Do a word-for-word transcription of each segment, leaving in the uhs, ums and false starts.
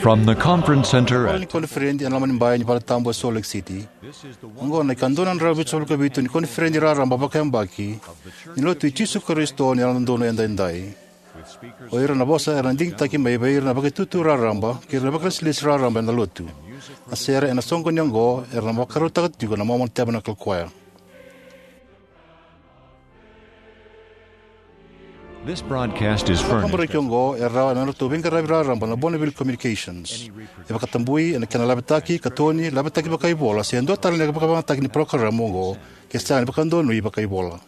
From the conference center Hall ni at koniferedi ena loma ni bai ni Valetabu e Salt Lake City. Oqo na ikadua na drau vitusagavulu ka vitu ni koniferedi raraba vakayabaki ni Lotu i Jisu Karisito ni Yalododonu Edaidai. O ira na vosa era na digitaki mai vei ira na vakaitutu raraba kei ira na vakalesilesi raraba ena Lotu. Na sere ena soqoni oqo era na vakarautaka tiko na Mormon Tabernacle Choir. This broadcast is Na furnished kaburaki oqo e rawa ena nodratou veiqaravi raraba na Bonneville Communications. E vakatabui ena kena lavetaki, katoni, lavetaki vakaivola se dua tale na ivakavakayagataki ni parokaramu oqo ke sega ni vakadonui vakaivola.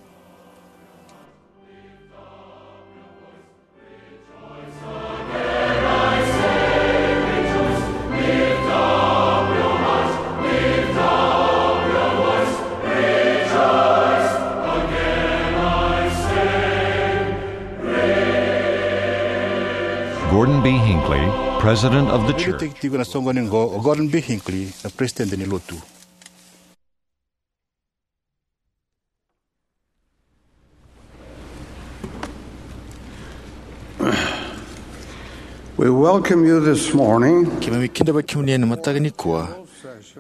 Gordon B. Hinckley, President of the Church. Tiko na soqoni oqo o Gordon B. Hinckley, na Peresitedi ni Lotu. We welcome you this morning. Keimami kidavaki kemuni ena mataka nikua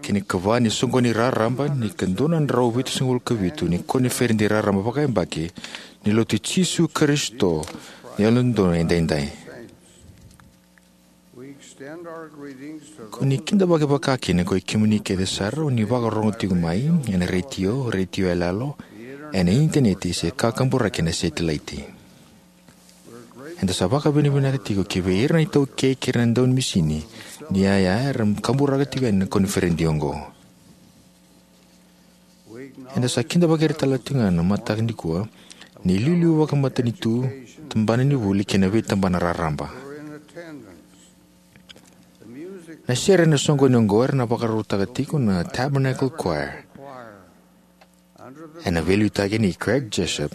ki na ikava ni soqoni raraba ni ikadua na drau vitusagavulu ka vitu ni koniferedi raraba vakayabaki ni Lotu i Jisu Karisito ni Yalododonu Edaidai. We extend our greetings to Ko ni kidavaki vakakina ko i kemuni kece sara o ni vakarorogo tiko mai ena retio, retio yaloyalo, ena initaneti se kakaburaki ena setilaiti. Eda sa vakavinavinaka tiko ki vei ira na iTaukei kei ira na daunimisini ni yaya era kaburaka tiko yani na koniferedi oqo. Eda sa kidavaki ira tale tiko ga na mataka nikua na iliuliu vakamatanitu, tabana ni vuli kei na veitabana raraba. Na sere ena soqoni oqo era na vakarautaka tiko na Tabernacle Choir ena veiliutaki nei Craig Jessop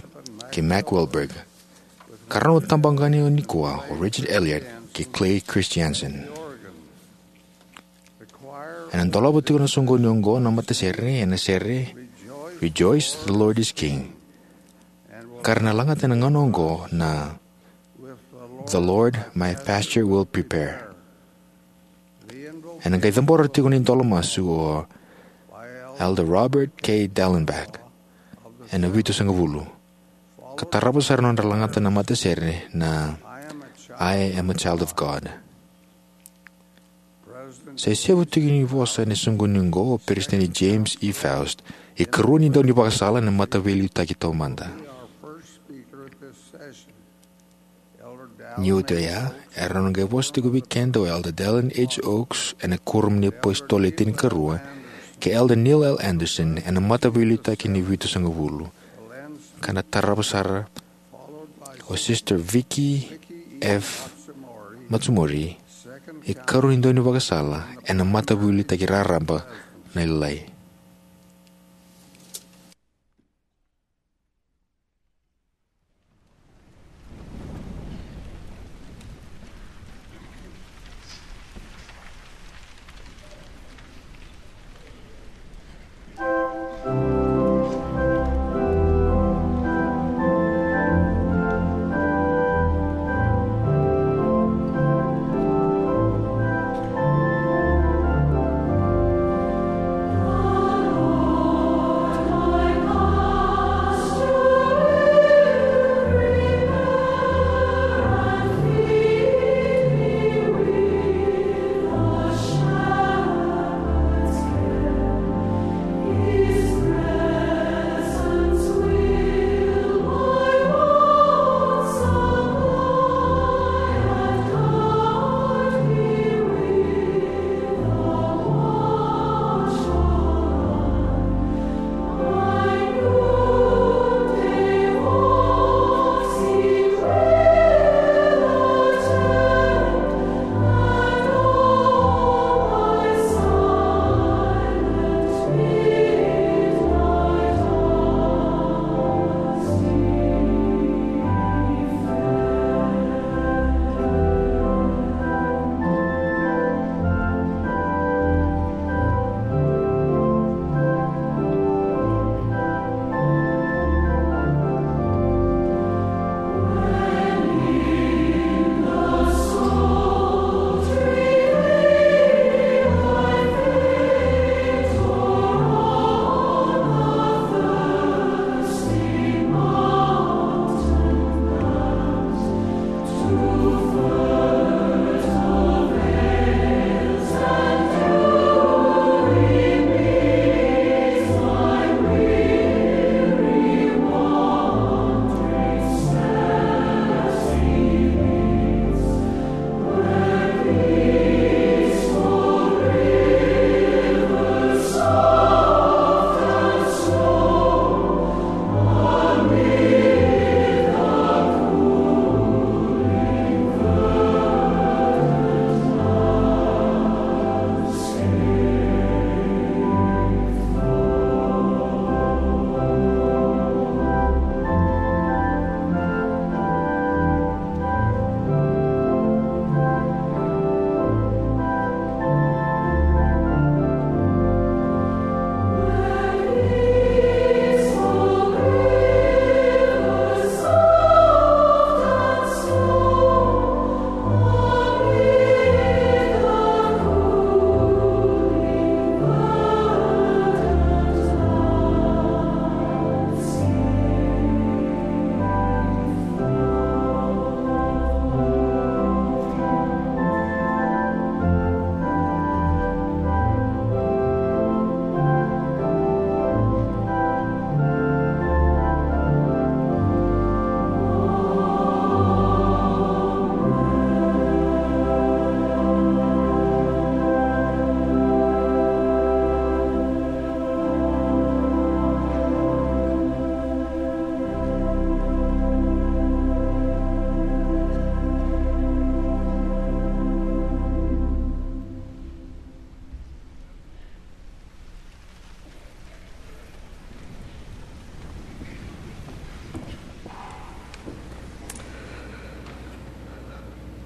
kei Mack Wilberg, ka ra na tabaqani nikua o Richard Elliott kei Clay Christiansen. Ena dolava tiko na soqoni oqo na matasere ena sere Rejoice, the Lord is King, ka ra na lagata ena gauna oqo na The Lord My Pasture Will Prepare. Ena qai cabora tiko na idola masu o Elder Robert K. Dallenbach ena vitusagavulu, ka tarava sara na nodra lagata na matasere na I Am a Child of God. Sa isevu tiko ni vosa ena soqoni oqo o Peresitedi James E. Faust, ikarua ni daunivakasala ena Mataveiliutaki Taumada. Ni oti oya, era na qai vosa tiko vei keda o Elder Dallin H. Oaks ena Kuoramu ni iApositolo Le Tinikarua kei Elder Neil L. Andersen ena Mataveiliutaki ni Vitusagavulu, ka na tarava sara o Sister Vicky F. Matsumori, ikarua ni daunivakasala ena Mataveiliutaki Raraba na Lailai.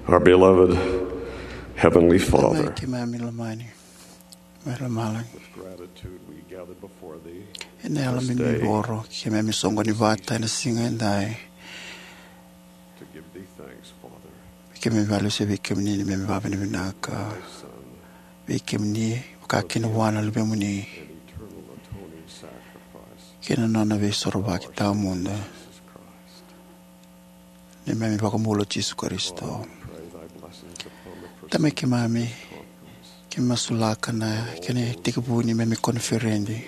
Our beloved Heavenly Tamai Father, keimami lomani mai lomalagi, with gratitude we gather before Thee ena yalo this day, mimivoro, keimami soqoni vata ena siga edai. To give Thee thanks, Father, keimami vakalesuya vei kemuni ni keimami vakavinavinaka vei kemuni, vaka kina vua na Luvemuni, and eternal atoning sacrifice kei na nona veisorovaki tawamudu, Jesus Christ. Neimami iVakabula o Jisu Karisito. Tamai keimami, keimami masulaka na kena itekivu ni neimami koniferedi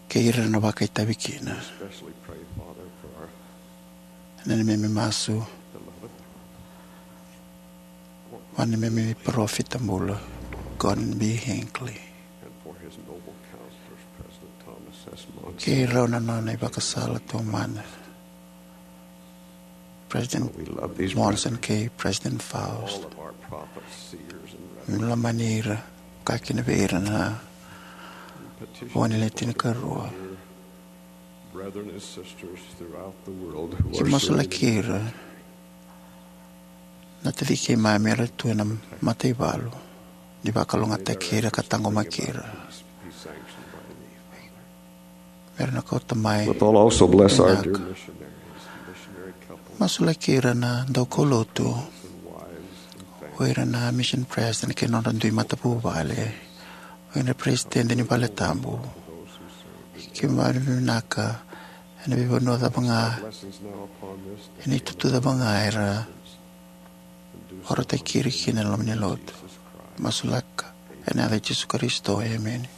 kei ira na vakaitavi kina. Na neimami masu vua na neimami parofita bula, Gordon B. Hinckley, kei rau na nona ivakasala taumada, President Monson kei President Faust. Keimami lomani ira, vaka kina vei ira na vo ni le tinikarua. Keimami masulaki ira na taci keimami era tu ena mataivalu, ni vakalougatataki ira ka taqomaki ira. Me ra na kauta mai. With all, also bless our dear vinaka missionaries, missionary couples, masulaki ira na daukaulotu, and wives and families, o ira na mission president kei na nodra dui matavuvale, o ira na peresitedi ni vale tabu. Keimami vakavinavinaka ena veivanua cava ga, ena itutu cava ga era vakarautaki ira kina ena loma ni lotu. Masulaka ena yaca i Jisu Karisito, emeni.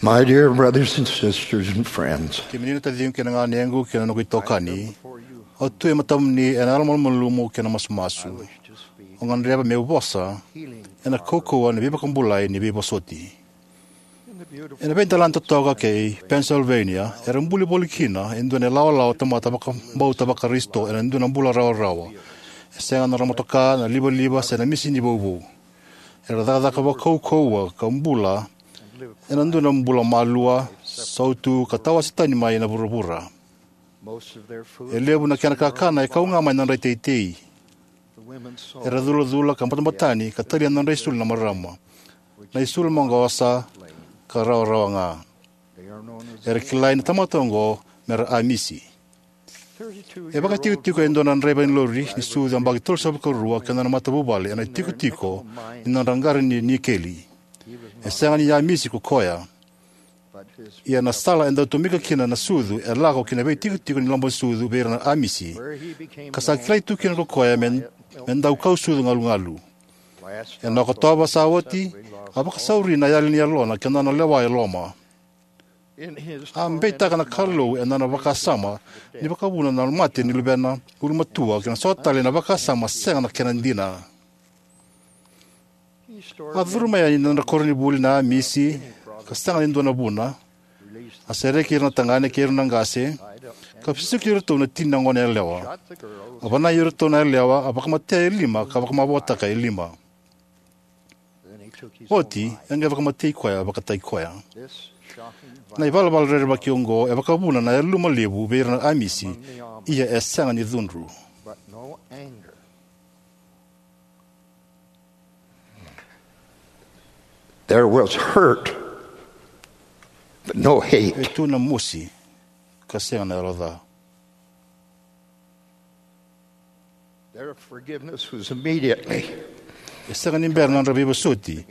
My dear brothers and sisters and friends, Kemuni na taciqu kei na ganequ kei na noqu itokani, au tu e matamuni ena yalomalumalumu kei na masumasu. Au gadreva meu vosa ena kaukauwa ni veivakabulai ni veivosoti. Ena veidelana totoka kei Pennsylvania, era buli voli kina e dua na ilawalawa tamata vakabauta Vakarisito ena dua na bula rawarawa. E sega na nodra motoka, na livaliva, se na misini vouvou. Era cakacaka vakaukauwa ka bula ena dua na bula malua, sautu, ka tawase tani mai na vuravura. E levu na kena kakana e kau ga mai na dra iteitei. Era culacula ka batabata tani ka talia na nodra isulu na marama, na isulu maqosa ka rawarawa ga. Era kilai na tamata oqo me ra Amisi. E vakaitikotiko e dua na draiva ni lori ni sucu yabaki tolusagavulu ka rua kei na nona matavuvale ena itikotiko ni nodra qara ni nikeli. E sega ni Amisi ko koya, ia na sala e dau tomika kina na sucu e lako ki na veitikotiko ni loma ni sucu vei ira na Amisi, ka sa kilai tu kina ko koya me, me dau kau sucu galugalu. Ena Okotova sa oti, a vakasauri na yali ni yalona kei na nona lewa e loma. A beitaka na Kalou ena nona vakasama ni vakavuna na mate ni luvena ulumatua kei na so tale na vakasama sega na kena dina. A curu mai yani na nodra koronivuli na Amisi, ka sega ni dua na vuna. A sereki ira na tagane kei ira na qase, ka vesuki iratou na tini na gone yalewa. A vanai iratou na yalewa, a vakamatea e lima, ka vakamavoataka e lima. Oti, e qai vakamatei koya vakataki koya. Na ivalavala rerevaki oqo e vakavuna na yaluma levu vei ira na Amisi, ia e sega ni cudru. There was hurt, but no hate. E tu na mosi, ka sega na yalo ca. Their forgiveness was immediately. E sega ni bera na nodra veivosoti.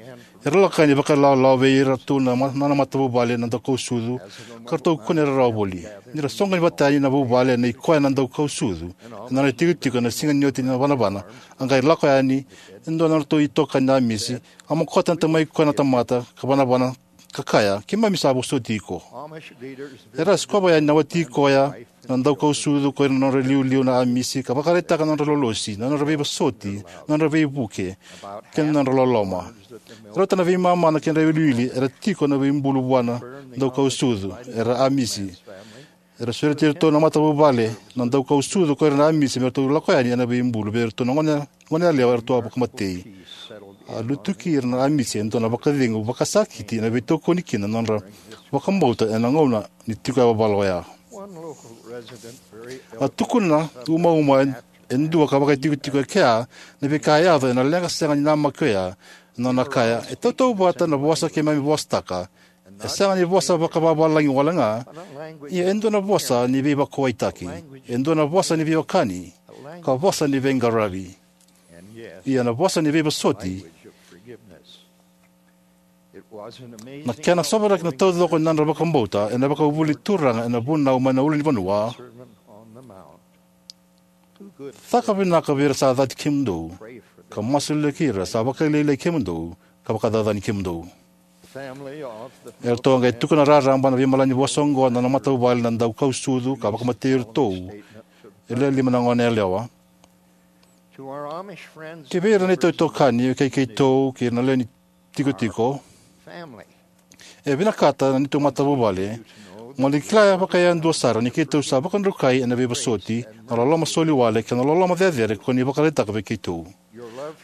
Era lako yani vakailawalawa vei iratou na ma-, na nona matavuvale na daukausucu, ka ratou kune rarawa voli. Ni ra soqoni vata yani na vuvale nei koya na daukausucu ena nona itikotiko ena siga ni oti ni vanavana, a qai lako yani e dua na nodratou itokani na Amisi, a mokota na tamai koya na tamata, ka vanavana, ka kaya, "Keimami sa vosoti iko." Era sikova yani na wati koya na daukausucu ko ira na nodra iliuliu na Amisi, ka vakaraitaka na nodra lolosi, na nodra veivosoti, na nodra veivuke, kei na nodra loloma. E rauta na veimama na kedra iwiliwili era tiko na veibulu vua na daukausucu, era Amisi. Era sureti iratou na matavuvale na daukausucu ko ira na Amisi me ratou lako yani ena veibulu vei iratou na gone, gone yalewa eratou a vakamatei. A lutuki ira na Amisi e dua na vakacegu vakasakiti ena veitokoni kina na nodra vakabauta ena gauna ni tiko yavavala oya. A tukuna umauma e, e dua ka vakaitikotiko e kea na veika e yaco ena leqa sega ni namaki oya, na nona kaya, "E tautauvata na vosa keimami vosataka, e sega ni vosa vakavavalagi wale ga, ia e dua na vosa ni veivakauwaitaki, e dua na vosa ni veiwekani, ka vosa ni veiqaravi, ia na vosa ni veivosoti." Na kena sovaraki na taucoko ni nodra vakabauta ena vakavuvuli turaga ena vunau mai na ulunivanua. Caka vinaka vei ira sa cati kemudou, ka masulaki ira sa vakalialiai kemudou, ka vakacacani kemudou. Eratou a qai tukuna raraba na veimalanivosa oqo na nona matavuvale na daukausucu ka vakamatei iratou e lewe lima na gone yalewa. Ki vei ira na neitou itokani, kei keitou, kei ira na lewe ni tikotiko, e vinakata na neitou matavuvale mo ni kila vakayadua sara ni keitou sa vakadrukai ena veivosoti, na loloma soli wale kei na loloma cecere ko ni vakaraitaka vei keitou.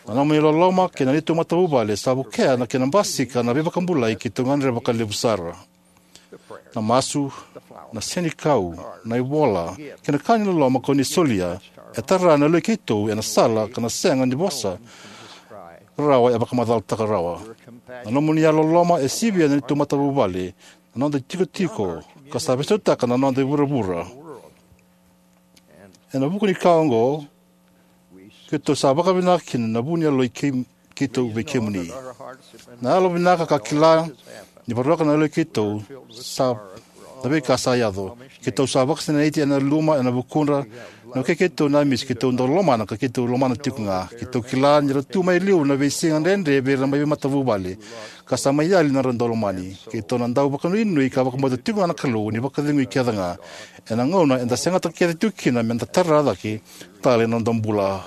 Na nomuni loloma kei na neitou matavuvale sa vukea na kena basika na veivakabulai keitou gadreva vakalevu sara. Na masu, na senikau, na ivola, kei na ka ni loloma ko ni solia e tara na yaloi keitou ena sala ka na sega ni vosa rawa e vakamacalataka rawa. Na nomuni yalololoma e sivia na neitou matavuvale, na noda itikotiko, ka sa veisautaka na noda ivuravura. Ena vuku ni ka oqo, keitou sa vakavinaka kina na vu ni yaloi kei, keitou vei kemuni. Na yalovinaka ka kila ni voroka na yaloi keitou sa na veika sa yaco. Keitou sa vakasinaiti ena luma, ena vukudra, Na wekei keitou na Amisi, keitou dau lomana ka keitou lomana tiko ga. Keitou kila ni ra tu mai liu na veisiga dredre vei ira na mai veimatavuvale, ka sa mai yali na nodra dau lomani. Keitou na dau vakanuinui ka vakabauta tiko ga na Kalou ni vakacegui kece ga ena gauna eda segata kece tiko kina me da tara cake tale na noda bula.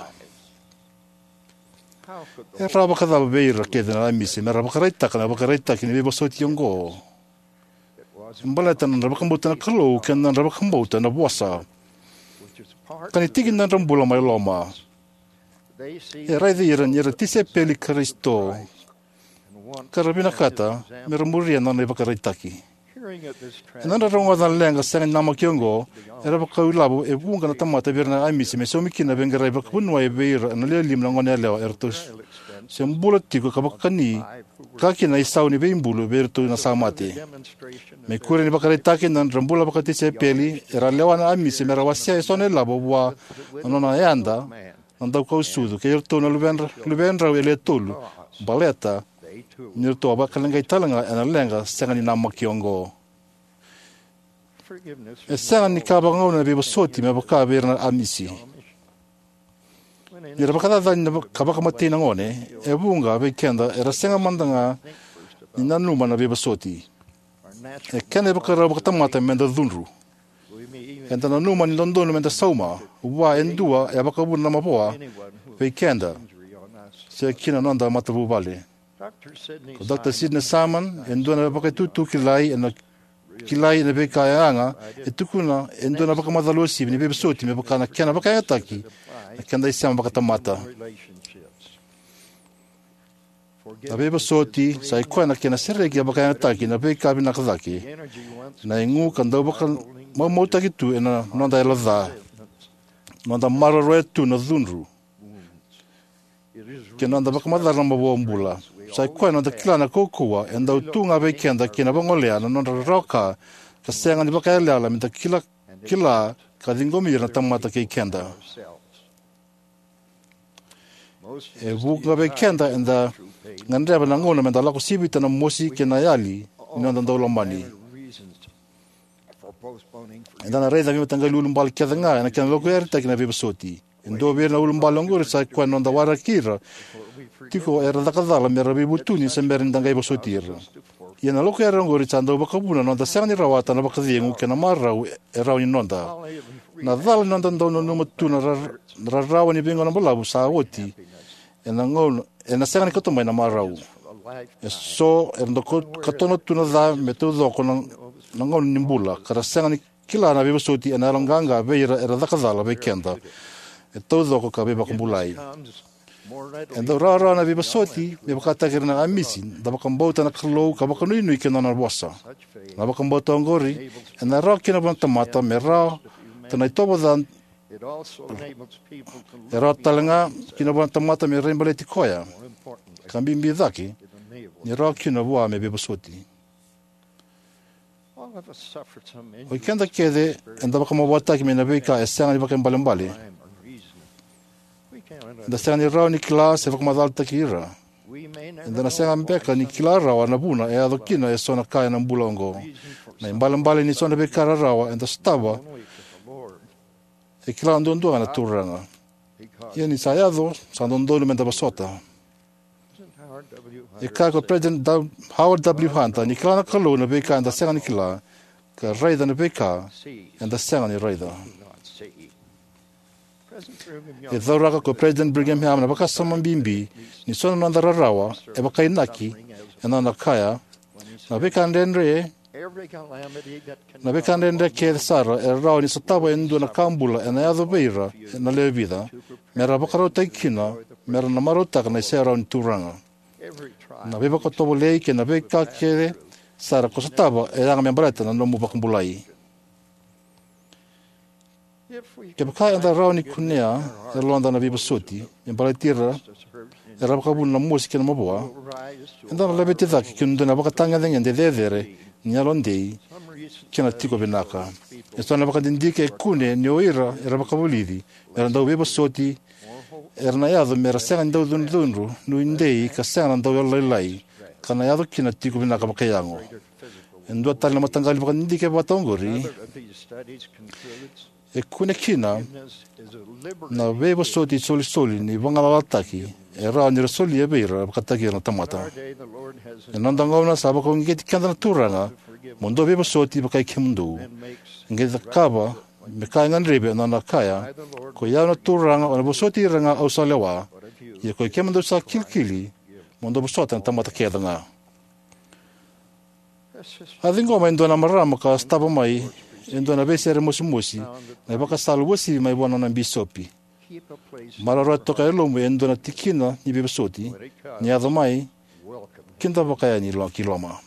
E rawa vakacava vei ira kece na Amisi me ra vakaraitaka na ivakaraitaki ni veivosoti oqo? E baleta na nodra vakabauta na Kalou kei na nodra vakabauta na vosa, ka ni tiki ni nodra bula mai loma. E raici ira ni ra tisaipeli i Karisito, ka ra vinakata me ra muria na nona ivakaraitaki. Ena nodra rogoca na leqa sega ni namaki oqo, era vakailavo e vuqa na tamata vei ira na Amisi me saumi kina na veiqaravi vakavuniwai vei ira ena lialia na goneyalewa eratou se bula tiko ka vakani, ka kina na isau ni veibulu vei iratou na sa mate. Me kuri ni vakaraitaki na nodra bula vakatisaipeli, era a lewa na Amisi me ra wasea eso na ilavo vua na nona yada na daukausucu kei iratou na luvedra, luvedrau e le tolu, baleta ni ratou a vakaleqai tale ga ena leqa sega ni namaki oqo. E sega ni ka vakagauna na veivosoti me vaka vei ira na Amisi. Ni ra vakacacani na va-, ka vakamatei na gone, e vuqa vei keda era sega mada ga ni nanuma na veivosoti. E kena ivakarau vakatamata me da cudru. Eda nanuma ni dodonu me da sauma vua e dua e vakavuna na mavoa vei keda se ki na noda matavuvale. Ko Dr Sidney Saman, e dua na vakaitutu kilai ena kilai ena veika e yaga, e tukuna e dua na vakamacala uasivi ni veivosoti me vaka na kena vakayagataki na keda isema vakatamata. Na veivosoti sa i koya na kena sereki e vakayagataki na veika vinaka cake, na igu ka dau vakamaumautaki tu ena noda yalo ca, noda maroroya tu na cudru, kei na noda vakamacala na mavoa bula. Sa i koya na noda kila na kaukauwa e dau tu ga vei keda kei na vagolea na nodra rawa ka, ka sega ni vakayalayala me da kila, kila ka ciqomi ira na tamata kei keda. E vuqa vei keda eda gadreva na gauna me da lako sivita na mosi kei na yali ni noda dau lomani. Eda na raica na veimataqali ulubale kece ga ena kena lokuyaritaki na veivosoti. E dua vei ira na ulubale oqori sa i koya na noda waraki ira tiko era caka cala me ra veivutuni se bera ni da qai vosoti ira. Ia na lokuyaritaki oqori sa dau vakavuna na noda sega ni rawata na vakacegu kei na marau e rawa ni noda. Na cala ni noda dau nanuma tu na ra-, na rarawa ni veigauna balavu sa oti ena gauna, ena sega ni kauta mai na marau. E so era dau ka-, katona tu na ca me taucoko na, na gauna ni bula, ka ra sega ni kila na veivosoti ena yaloqaqa vei ira era caka cala vei keda e taucoko ka veivakabulai. E dau rawarawa na veivosoti me vakataki ira na Amisi, da vakabauta na Kalou ka vakanuinui ki na nona vosa. Na vakabauta oqori ena rawa kina vua na tamata me rawa ta na itovo ca, e rawa tale ga kina vua na tamata me raibaleti koya, ka bibi cake, ni rawa kina vua me veivosoti. Oi keda kece eda vakamavoataki mai na veika e sega ni vakaibalebale. Eda sega ni rawa ni kila se vakamacalataki ira. Eda na sega beka ni kila rawa na vuna e yaco kina eso na ka ena bula oqo. Na ibalebale ni so na veika rarawa eda sotava e kila duadua ga na Turaga. Ia ni sa yaco, sa dodonu me da vosota. E kaya ko President W-, Howard W Hunter, ni kila na Kalou na veika eda sega ni kila, ka raica na veika eda sega ni raica. E cauraka ko President Brigham Young na vakasama bibi ni so na noda rarawa e vakainaki ena nona kaya, na veika dredre, na veika dredre kece sara e rawa ni sotava e dua na ka bula ena yaco vei ira na lewe vica, me ra vakarautaki kina me ra na marautaka na iserau ni Turaga. Na veivakatovolei kei na veika kece sara ko sotava e yaga me baleta na nomu vakabulai. Kevaka eda rawa ni kunea e yaloda na veivosoti me baleti ira era vakavuna na mosi kei na mavoa, eda na laveti cake ki na dua na vakatagedegede cecere ni yalodei kei na tiko vinaka. Eso na vakadidike e kune ni o ira era vakavulici me ra dau veivosoti era na yaco me ra sega ni dau cudrucudru, nuidei, ka sega na dau yalolailai, ka na yaco kina na tiko vinaka vakaiyago. E dua tale na mataqali vakadidike vata oqori E kune kina na veivosoti isolisoli ni vagalalataki e rawa ni ra solia vei ira vakataki ira na tamata. Ena noda gauna sa vakauqeti keda na Turaga, mo dou veivosoti vakai kemudou. E qai cakava me ka e gadrevi ena nona kaya, ko i au na Turaga, au na vosoti ira ga au sa lewa, ia ko i kemudou sa kilikili, mo dou vosota na tamata kece ga. A ciqoma e dua na marama ka sotava mai e dua na veisere mosimosi na ivakasala uasivi mai vua na nona bisopi. Maroroya toka e lomamu e dua na tikina ni veivosoti. Ni yaco mai, kidavaka yani lo- ki loma.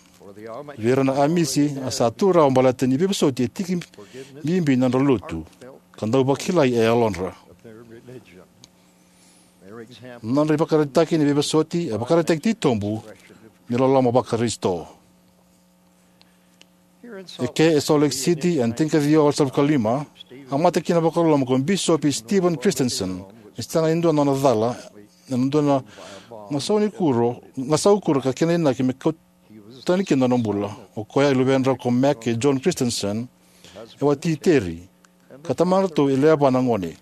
Vei ira na Amisi, a sa tu rawa baleta ni veivosoti e tiki bibi ni nodra lotu, ka dau vakilai e yalodra. Na nodra ivakaraitaki ni veivosoti e vakaraitaki titobu ni loloma vaKarisito. Eke e Salt Lake City ena tinikaciwa walusagavulu ka lima, a mate kina vakaloloma ko Bisopi Steven Christensen, ni sega ni dua na nona cala ena dua na gasau ni kuro, gasau kuro ka kena inaki me kau tani kina na nona bula. O koya e luvedrau ko Mac kei John Christensen, e wati i Terry, ka tamadratou e lewe va na gone.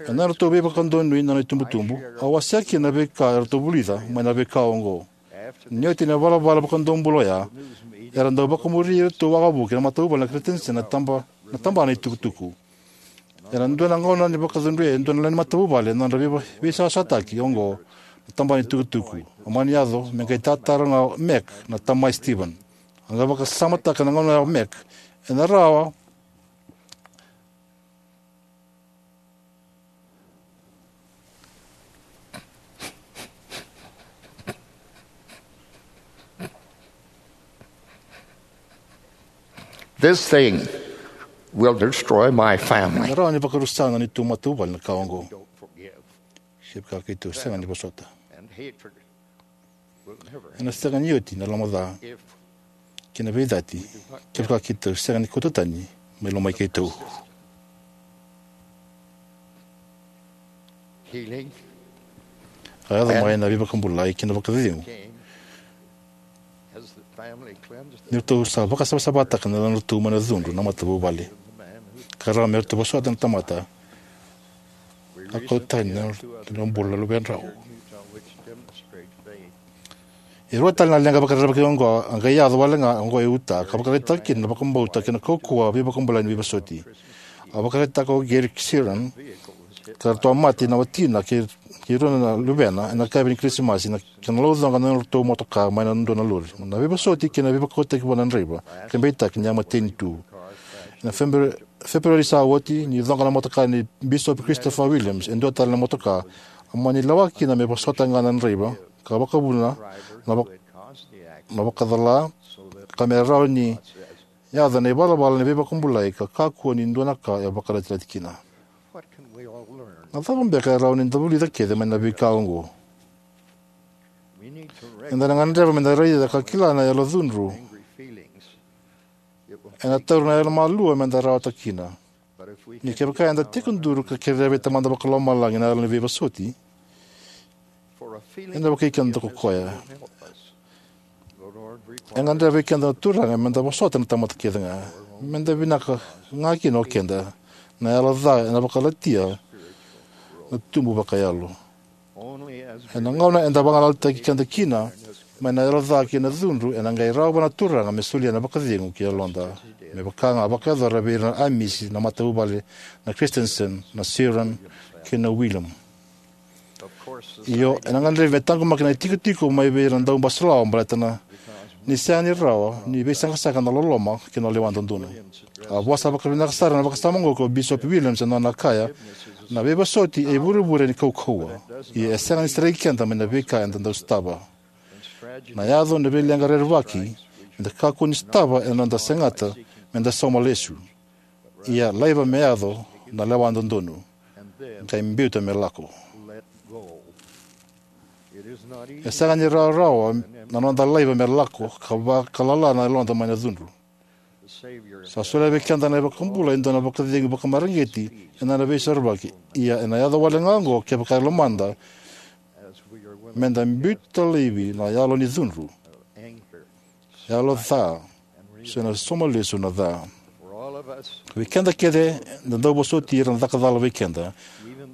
Ena nodratou veivakadonui na nona itubutubu, a wasea kina na veika eratou vulica mai na veika oqo. Ni oti na ivalavala vakadomobula oya, era dau vakamuri iratou wavoki na matavuvale na Christensen na taba, na tabana itukutuku. Ena dua na gauna ni vakacudruya e dua na lewe ni matavuvale na nodra veiva-, veisawasawataki oqo na tabana itukutuku. A mani yaco me qai tatara ga o Mac na tama i Steven. A qai vakasamataka na gauna ya o Mac, ena rawa This thing will destroy my family. Ena rawa ni vakarusa na neitou matavuvale na ka oqo. Kevaka keitou sega ni vosota, ena sega ni oti na lomaca kei na veicati kevaka keitou sega ni kauta tani mai lomai keitou. A yaco mai na veivakabulai kei na vakacegu ni ratou sa vakasavasavataka na yalodratou mai na cudru na matavuvale. Ka rawa me ratou vosota na tamata a kau tani na nodra bula na luvedrau. E rua tale na leqa vakarerevaki oqo a qai yaco wale ga oqo e Utah, ka vakaraitaka kina na vakabauta kei na kaukauwa veivakabulai ni veivosoti. A vakaraitaka o Gary Sheeran, ka ratou a mate na watina kei, kei rua na luvena ena yakavi ni Kirisimasi, na kena laucoqa na nodratou motoka mai na dua na lori. Na veivosoti kei na veivakaukauwataki vua na draiva ka beitaki ni a mateni tu. Ena February, February sa oti, ni coqa na motoka nei Bisopi Christopher Williams e dua tale na motoka, a mani lewa kina me vosota ga na draiva ka vakavuna na, vak, na vakacala, ka me rawa ni yaco na ivalavala ni veivakabulai ka kakua ni dua na ka e vakaraitaki kina. Na cava beka e rawa ni da vulica kece mai na veika oqo? Eda na gadreva me da raica ka kila na yalocudru. Ena taura na yalomalua me da rawata kina. Ni kevaka eda tekiduru ka kerea vei Tamada Vakalomalagi na yalo ni veivosoti, ena vukei keda ko koya. E gadreva vei keda na Turaga me da vosota na tamata kece ga, me da vinaka ga kina o keda. Na yalo ca ena vakalatia na tubu vakayalo. Ena gauna eda vagalalataki keda kina mai na yalo ca kei na cudru, ena qai rawa vua na Turaga me solia na vakacegu ki yaloda. Me vaka ga a vakayacora vei ira na Amisi na matavuvale na Christensen, na Sheeran, kei na William. Io, ena gadrevi me taqomaki na itikotiko mai vei ira na daubasalawa baleta na ni sega ni rawa ni veisaqasaqa na loloma kei na lewa dodonu. A vosa vakavinaka sara ena vakasama oqo ko Bisopi Williams ena nona kaya, na veivosoti e ivurevure ni kaukauwa, ia e sega ni sereki keda mai na veika eda dau sotava. Na yaco na veileqa rerevaki me da kakua ni sotava ena noda segata me da sauma lesu. Ia laiva me yaco na lewa dodonu, qai biuta me lako. E sega ni rawarawa na noda laiva me lako ka vakalala na yaloda mai na cudru. Sa solia vei keda na iVakabula e dua na vakacegu vakamareqeti ena nona Veisorovaki. Ia ena yaco wale ga oqo kevaka e lomada me da biuta laivi na yalo ni cudru, yalo ca, se na sauma lesu na ca. Vei keda kece, da dau vosoti ira na caka cala vei keda,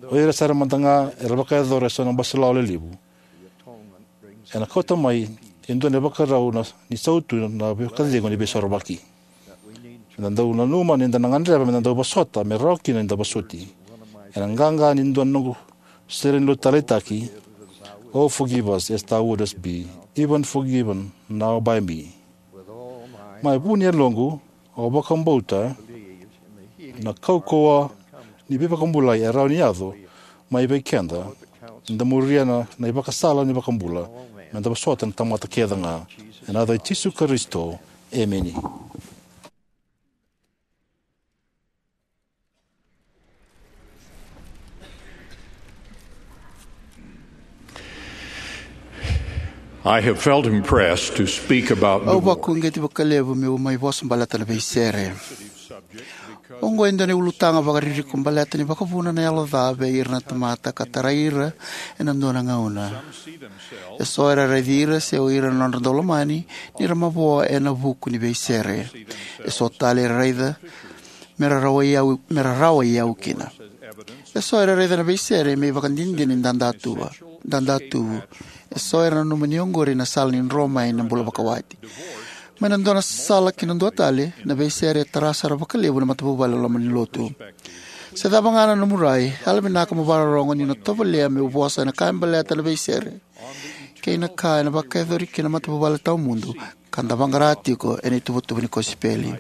o ira sara mada ga era vakayacora eso na baselawa lelevu, ena kauta mai e dua na ivakarau na, ni sautu na vakacegu ni veisorovaki. Eda dau nanuma ni da na gadreva me da dau vosota me rawa kina ni da vosoti. Ena qaqa ni dua na noqu sere ni lotu taleitaki, "Oh, forgive us as thou wouldest be even forgiven now by me." Mai vu ni yaloqu, au vakabauta na kaukauwa ni veivakabulai e rawa ni yaco mai vei keda ni da muria na, na ivakasala ni vakabula, me da vosota na tamata kece ga. Ena yaca i Jisu Karisito, emeni. I have felt impressed to speak about Au divorce. Vakauqeti vakalevu meu mai vosa baleta na veisere. Oqo e dua na ulutaga vakaririko baleta ni vakavuna na yalo ca vei ira na tamata ka tarai ira ena dua na gauna. Eso era raici ira se o ira na nodra daulomani ni ra mavoa ena vuku ni veisere. Eso tale era raica me ra rawa i au, me ra rawa i au kina. Eso era raica na veisere me ivakadinadina ni dadatuva, dadatuvu. Eso era nanuma ni oqori na sala ni dro mai na bula vakawati. Mai na dua na sala ki na dua tale, na veisere e tara sara vakalevu na matavuvale loma ni lotu. Se cava ga na nomu rai, yalovinaka mo vakarorogo niu na tovolea meu vosa ena ka e baleta na veisere kei na ka ena vakayacori kina na matavuvale tawamudu ka da vaqara tiko ena ituvatuva ni kosipeli.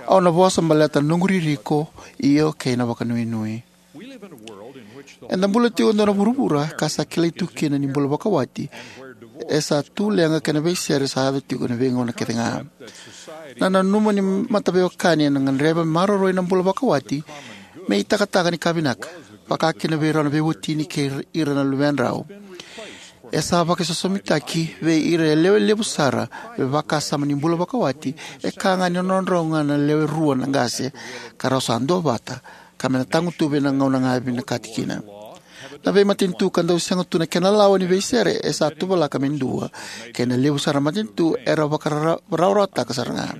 Au na vosa baleta na noqu ririko, io, kei na vakanuinui. Eda bula tiko e dua na vuravura ka sa kilai tu kina ni bula vakawati e sa tu leqa kei na veisere sa yaco tiko ena veigauna kece ga. Na nanuma ni mataveiwekani ena gadreva me maroroi na bula vakawati me itakataka ni ka vinaka, vaka kina vei rau na veiwatini kei ira na luvedrau, e sa vakaisosomitaki vei ira e lewe levu sara me vakasama ni bula vakawati e ka ga ni nodrau ga na lewe rua na qase, ka rau sa duavata, ka me na tagutuvi ena gauna ga e vinakati kina. Na veimatanitu ka dau sega tu na kena lawa ni veisere e sa tuvalaka me dua, kei na levu sara na matanitu era vakarawarawataka sara ga.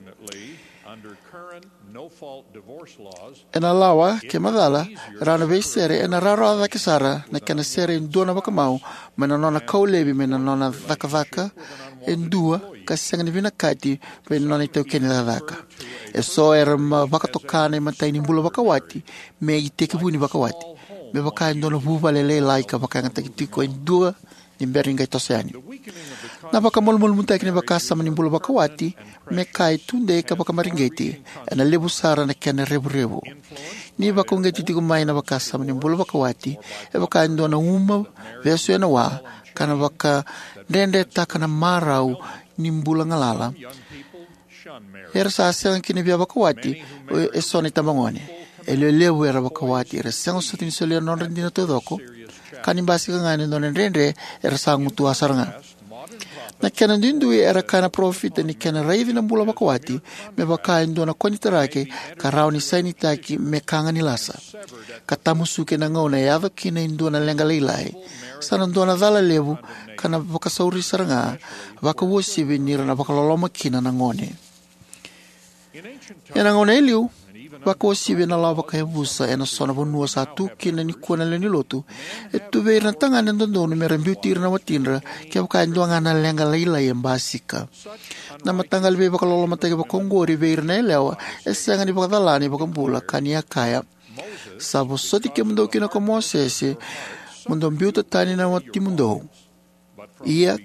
Ena lawa, ke macala, rawa na veisere ena rawarawa cake sara na kena sere e dua na vakamau mai na nona kau laivi mai na nona cakacaka e dua ka sega ni vinakati vei na nona itaukei ni cakacaka. Eso era vakatoka na imatai ni bula vakawati me itekivu ni vakawati, me vaka e dua na vuvale lailai ka vakayagataki tiko e dua ni bera ni qai toso yani. Na vakamalumalumutaki ni vakasama ni bula vakawati me ka e tudei ka vakamareqeti ena levu sara na kena revurevu. Ni vakauqeti tiko mai na vakasama ni bula vakawati e vaka e dua na uma vesu ena wa, ka na vakadredretaka na marau ni bula galala. Era sa sega kina via vakawati eso na itabagone. E lewe levu era vakawati era sega soti ni solia na nodra dina taucoko, ka ni basika ga ena dua na dredre era sa gutuwa sara ga. Na kena duidui era kaya na parofita ni kena raici na bula vakawati me vaka e dua na konitaraki ka rawa ni sainitaki me ka ga ni lasa, ka tamusuki ena gauna e yaco kina e dua na leqa lailai, sa na dua na cala levu ka na vakasauri sara ga, vakauasivi ni ra na vakaloloma kina na gone. Ena gauna e liu, vakauasivi ena lawa vakayavusa ena so na vanua sa tu kina nikua na lewe ni lotu, e tu vei ira na tagane dodonu me ra biuti ira na watidra kevaka e dua ga na leqa lailai e basika. Na mataqali veivakalolomataki vakaoqori vei ira na yalewa e sega ni vakacala na iVakabula, ka ni a kaya: "Sa vosoti kemudou kina ko Mosese mo dou biuta tani na watimudou, ia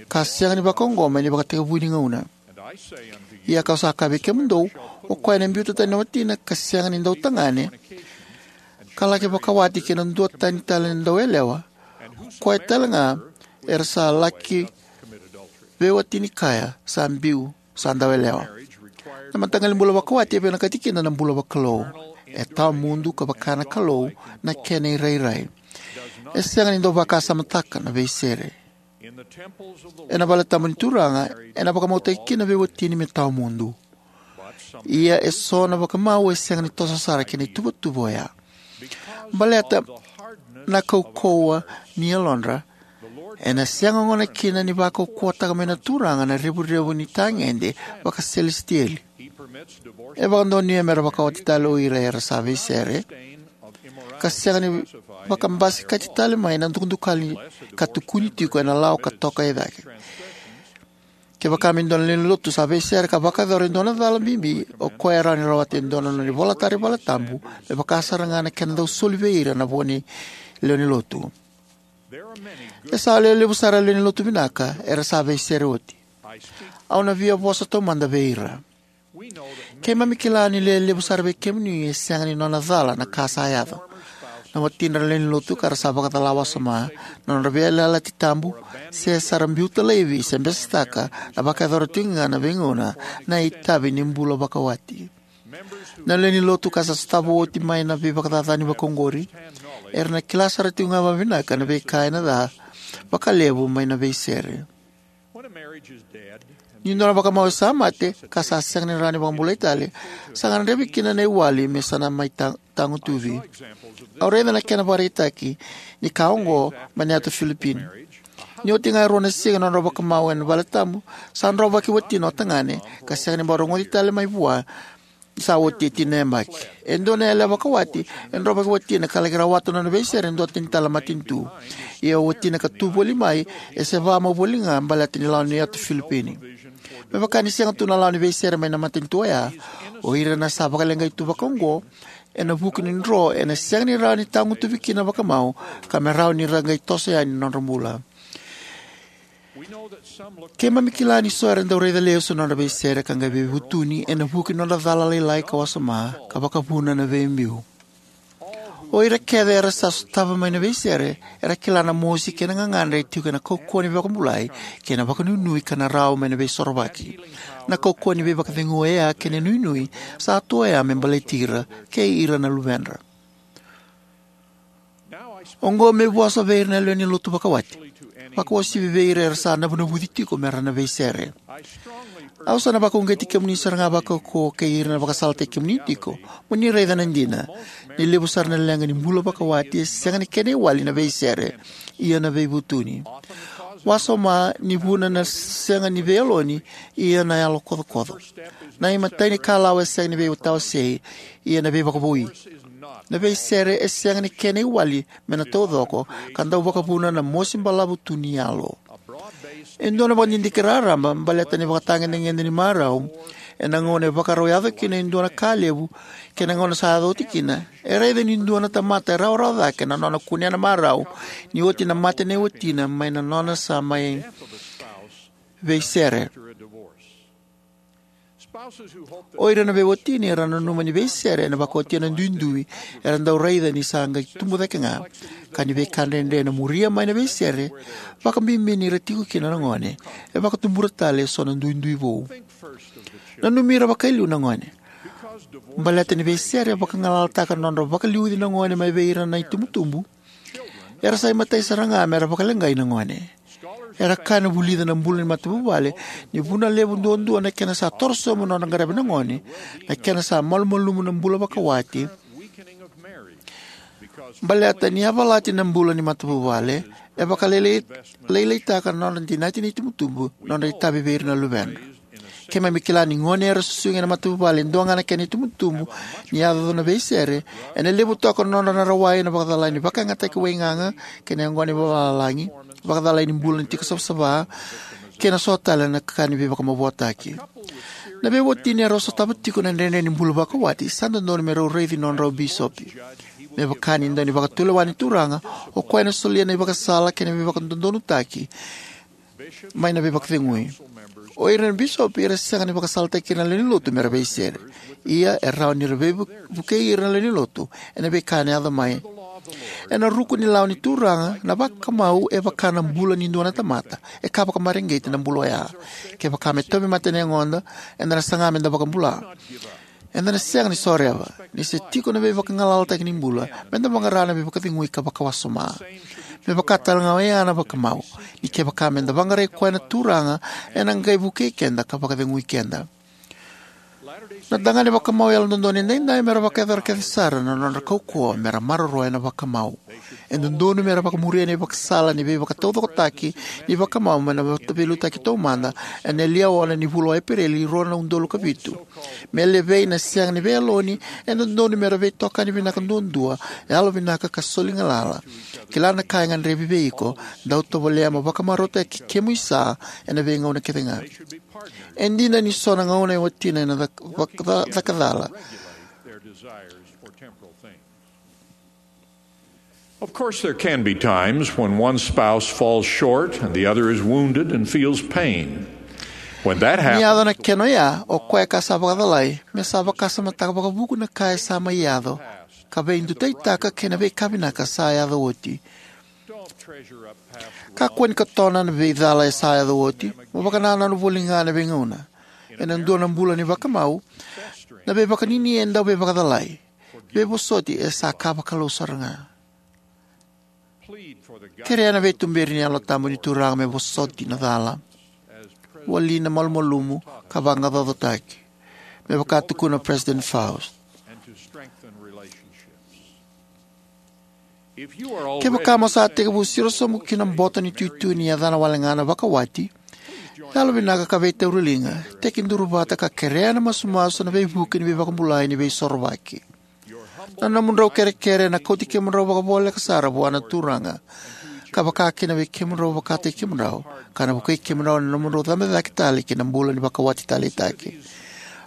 ka sega ni vakaoqo mai na ivakatekivu ni gauna. Ia kau sa kaya vei kemudou, o koya ena biuta tani na watina ka sega ni dautagane, ka laki vakawati kei na dua tani tale na dauyalewa, o koya tale ga era sa laki veiwatini kaya sa biu sa dauyalewa." Na mataqali bula vakawati e vinakati kina na bula vakalou. E tawamudu ka vaka na Kalou na kena irairai. E sega ni dau vakasamataka na veisere. Ena vale tabu ni Turaga, ena vakamautaki kina veiwatini me tawamudu. Ia eso na vakamau e sega ni toso sara ki na ituvatuva oya. Baleta na kaukauwa ni yalodra, ena sega gona kina ni vakaukauwataka mai na Turaga na revurevu ni tagede vakaselesitieli. E vakadonuya me ra vakawati tale o ira era sa veisere, ka sega ni vakabasikati tale mai na dukadukali ka tukuni tiko ena lawa ka toka e cake. Kevaka me dua na lewe ni lotu sa veisere ka vakayacora e dua na cala bibi, o koya e rawa ni rawata e dua na nona ivolatara ni valetabu, me vaka sara ga na kena dau soli vei ira na vo ni lewe ni lotu. E sa lewe levu sara na lewe ni lotu vinaka era sa veisere oti. Au na via vosa taumada vei ira. Keimami kila ni lewe levu sara vei kemuni e sega ni nona cala na ka sa yaco. Na watidra na lewe ni lotu ka ra sa vakacala wasoma, na nodra veiyalayalati tabu, se sa ra biuta laivi se besetaka, na vakayacora tiko ga na veigauna na itavi ni bula vakawati. Na lewe ni lotu ka sa sotava oti mai na veivakacacani vakaoqori era na kila sara tiko ga vakavinaka na veika ena ca vakalevu mai na veisere. Ni dua na vakamau e sa mate ka sa sega ni rawa ni vakabulai tale, sa gadrevi kina na iwali me sa na mai ta- tagutuvi. Au raica na kena vakaraitaki ni ka oqo mai na yatu Filipini. Ni oti ga e rua na siga na nodra vakamau ena valetabu, sa drovaki watina o tagane ka sega ni bau rogoci tale mai vua. Sa oti e tini na yabaki. E dua na yalewa vakawati e drovaki watina ka laki rawata na nona veisere e dua tani tale na matanitu. Ia o watina ka tu voli mai, e seva mai voli ga baleta ni lawa ni yatu Filipini. Me vaka ni sega tu na lawa ni veisere mai na matanitu oya, o ira na sa vakaleqai tu vakaoqo ena vuku ni dro ena sega ni rawa ni tagutuvi kina na vakamau, ka me rawa ni ra qai toso yani na nodra bula. Keimami kila ni so era dau raica lesu na nodra veisere ka qai veivutuni ena vuku ni nodra cala lailai ka wasoma ka vakavuna na veibiu. O ira kece era sa sotava mai na veisere era kila na mosi kei na gagadre e tiko ena kaukauwa ni vakabulai kei na vakanuinui ka na rawa mai na Veisorovaki. Na kaukauwa ni veivakacegui oya kei na nuinui sa tu oya me baleti ira kei ira na luvedra. Oqo meu vosa vei ira na lewe ni lotu vakawati, vakauasivi vei ira era sa navunavuci tiko me ra na veisere. Au sa na vakauqeti kemuni sara ga vakaukauwa kei ira na vakasalataki kemuni tiko, mo ni raica na dina ni levu sara na leqa ni bula vakawati e sega ni kena iwali na veisere, ia na veivutuni. Wasoma ni vuna na sega ni veiyaloni, ia na yalo kocokoco. Na imatai ni kalawa e sega ni veitawasei, ia na veivakavoui. Na veisere e sega ni kena iwali me na taucoko ka dau vakavuna na mosi balavu tu ni yalo. E dua na vakadidike raraba baleta na ivakatagedegede ni marau ena gauna e vakarau yaco kina e dua na ka levu kei na gauna sa yaco oti kina. E raica ni dua na tamata e rawarawa cake na nona kunea na marau ni oti na mate nei watina mai na nona sa mai veisere. O ira na veiwatini era nanuma ni veisere ena vakaotia na duidui era dau raica ni sa qai tubu cake ga, ka ni veika dredre ena muria mai na veisere, vakabibi ni ra tiko kina na gone, e vakatubura tale eso na duidui vou. Nanumi ira vakailiu na gone. Baleta ni veisere e vakagalalataka na nodra vakaliuci na gone mai vei ira na itubutubu, era sa imatai sara ga me ra vakaleqai na gone. Era kaya na vulica na bula ni matavuvale ni vuna levu duadua na kena sa torosobu na nodra qaravi na gone, na kena sa malumalumu na bula vakawati. Baleta ni yavalati na bula ni matavuvale, e vakalailaitaka na nodra dinati na itubutubu, nodra itavi vei ira na luvedra. Keimami kila ni gone era susugi ena matavuvale e dua ga na kena itubutubu ni yaco na veisere, ena levu toka na nodra na rawai ena vakacalai ni vakayagataki waigaga kei na yaqona ni vavalagi, vakacalai ni bula ni tiko savasava, kei na so tale na ka ni veivakamavoataki. Na veiwatini era sotava tiko na dredre ni bula vakawati sa dodonu me rau raici nodrau bisopi. Me vaka ni dau ni vakatulewa ni Turaga, o koya ena solia na ivakasala kei na veivakadodonutaki mai na veivakacegui. O ira na bisopi era sega ni vakasalataki ira na lewe ni lotu me ra veisere. Ia e rawa ni ra veivukei ira na lewe ni lotu ena veika ena yaco mai. Ena ruku ni lawa ni Turaga, na vakamau e vaka na bula ni dua na tamata, e ka vakamareqeti na bula oya. Kevaka me tauvimate na yagoda, eda na saga me da vakabula. Eda na sega ni soreva, ni se tiko na veivakagalalataki ni bula, me da vaqara na veivakacegui ka vakawasoma. Me vaka tale ga oya na vakamau, ni kevaka me da vaqarai koya na Turaga, ena qai vukei keda ka vakacegui keda. Na tagane vakamau yalododonu edaidai mera vakayacora kece sara na nodra kaukauwa mera maroroya na vakamau. E dodonu mera vakamuria na ivakasala ni veivakataucokotaki ni vakamau mai na Veiliutaki Taumada ena liaona ni vula o Epereli, rua na udolu ka vitu. Me levei na sega ni veiyaloni, e dodonu mera veitokani vinaka duadua, yalovinaka ka soli galala. Kila na ka e gadrevi vei iko, dau tovolea mo vakamarautaki kemu isa ena veigauna kece ga. E dina ni so na gauna e watina ena cak-, vak-, ca-, cakacala. Of course, there can be times when one spouse falls short and the other is wounded and feels pain. When that Ni yaco happens, na kena oya, o koya ka sa vakacalai, me sa vakasamataka vakavuku na ka e sa mai yaco, ka veidutaitaka kei na veika vinaka sa yaco oti. Kakua ni katona na veicala e sa yaco oti, mo vakanananu voli ga na veigauna. Ena dua na bula ni vakamau, na veivakanuinui e dau veivakacalai. Veivosoti e sa ka vakalou sara ga. Kerea na veituberi ni Yalo Tabu ni Turaga me vosoti na cala, wali na malumalumu, ka vaqaqacotaki, me vaka tukuna o President Faust. Kevaka mo sa tekivu siro sobu ki na boto ni tuitui ni yacana wale ga na vakawati, yalovinaka ka veitauriliga, tekiduru vata ka kerea na masumasu na veivuke ni veivakabulai ni Veisorovaki. Na nomudrau kerekere ena kauti kemudrau vakavoleka sara vua na Turaga, ka vaka kina vei kemudrau vakataki kemudrau, ka na vukei kemudrau ena nomudrau cabe cake tale ki na bula ni vakawati taleitaki.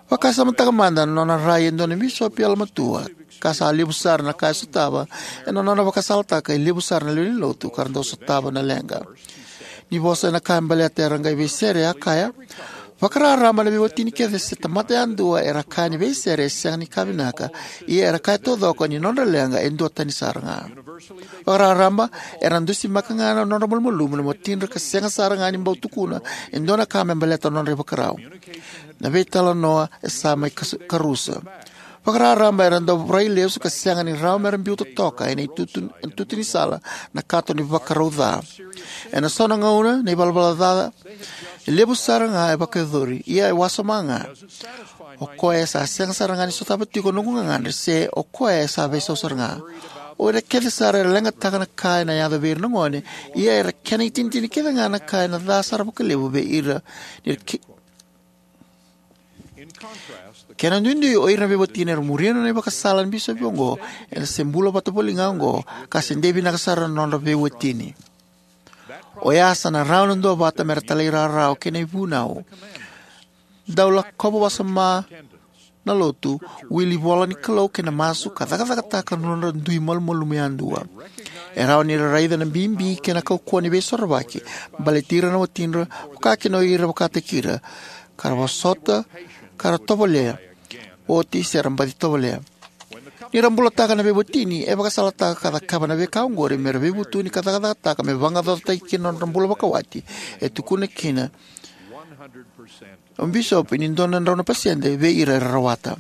Vakasamataka mada na nona rai e dua na bisopi yalomatua, ka sa levu sara na ka e sotava ena nona vakasalataka e levu sara na lewe ni lotu ka ra dau sotava na leqa. Ni vosa ena ka e baleta era qai veisere, a kaya: Vakararaba na veiwatini kece se tamata yadua era kaya ni veisere e sega ni ka vinaka, ia era kaya taucoko ni nodra leqa e duatani sara ga. Vakararaba era dusimaka ga na nodra malumalumu na watidra ka sega sara ga ni bau tukuna e dua na ka me baleta na nodra ivakarau. Na veitalanoa e sa mai kas-, karusa. Vakararaba era dau rai lesu ka sega ni rawa mera biuta toka ena itutu, itutu ni sala na kato ni vakarau ca. Ena so na gauna na ivalavala ca e levu sara ga e vakayacori, ia e wasoma ga. O koya e sa sega sara ga ni sotava tiko noqu gagadre, se o koya e sa veisau sara ga. O ira kece sara era leqataka na ka ena yaco vei ira na gone, ia era kena itinitini kece ga na ka ena ca sara vakalevu vei ira ni ra ki-, Kena duidui, o ira na veiwatini era muria na nona ivakasala na bisopi oqo, era se bula vata voli ga oqo, ka se dei vinaka sara na nodra veiwatini. Oya sa na rawa na duavata mera talairawarawa kei na ivunau. Dau lakova wasoma na lotu, wili ivola ni Kalou kei na masu, ka cakacakataka na nodra dui malumalumu yadua. E rawa ni ra raica na bibi kei na kaukauwa ni Veisorovaki baleti ira na watidra, vaka kina o ira vakataki ira, ka ra vosota, ka ra tovolea, oti se ra baci tovolea. Ni ra bulataka na veiwatini, e vakasalataka ka cakava na veika oqori mera veivutuni ka cakacakataka me vaqaqacotaki kina na nodra bula vakawati. E tukuna kina o bisopi ni dua na drau na pasede vei ira era rawata.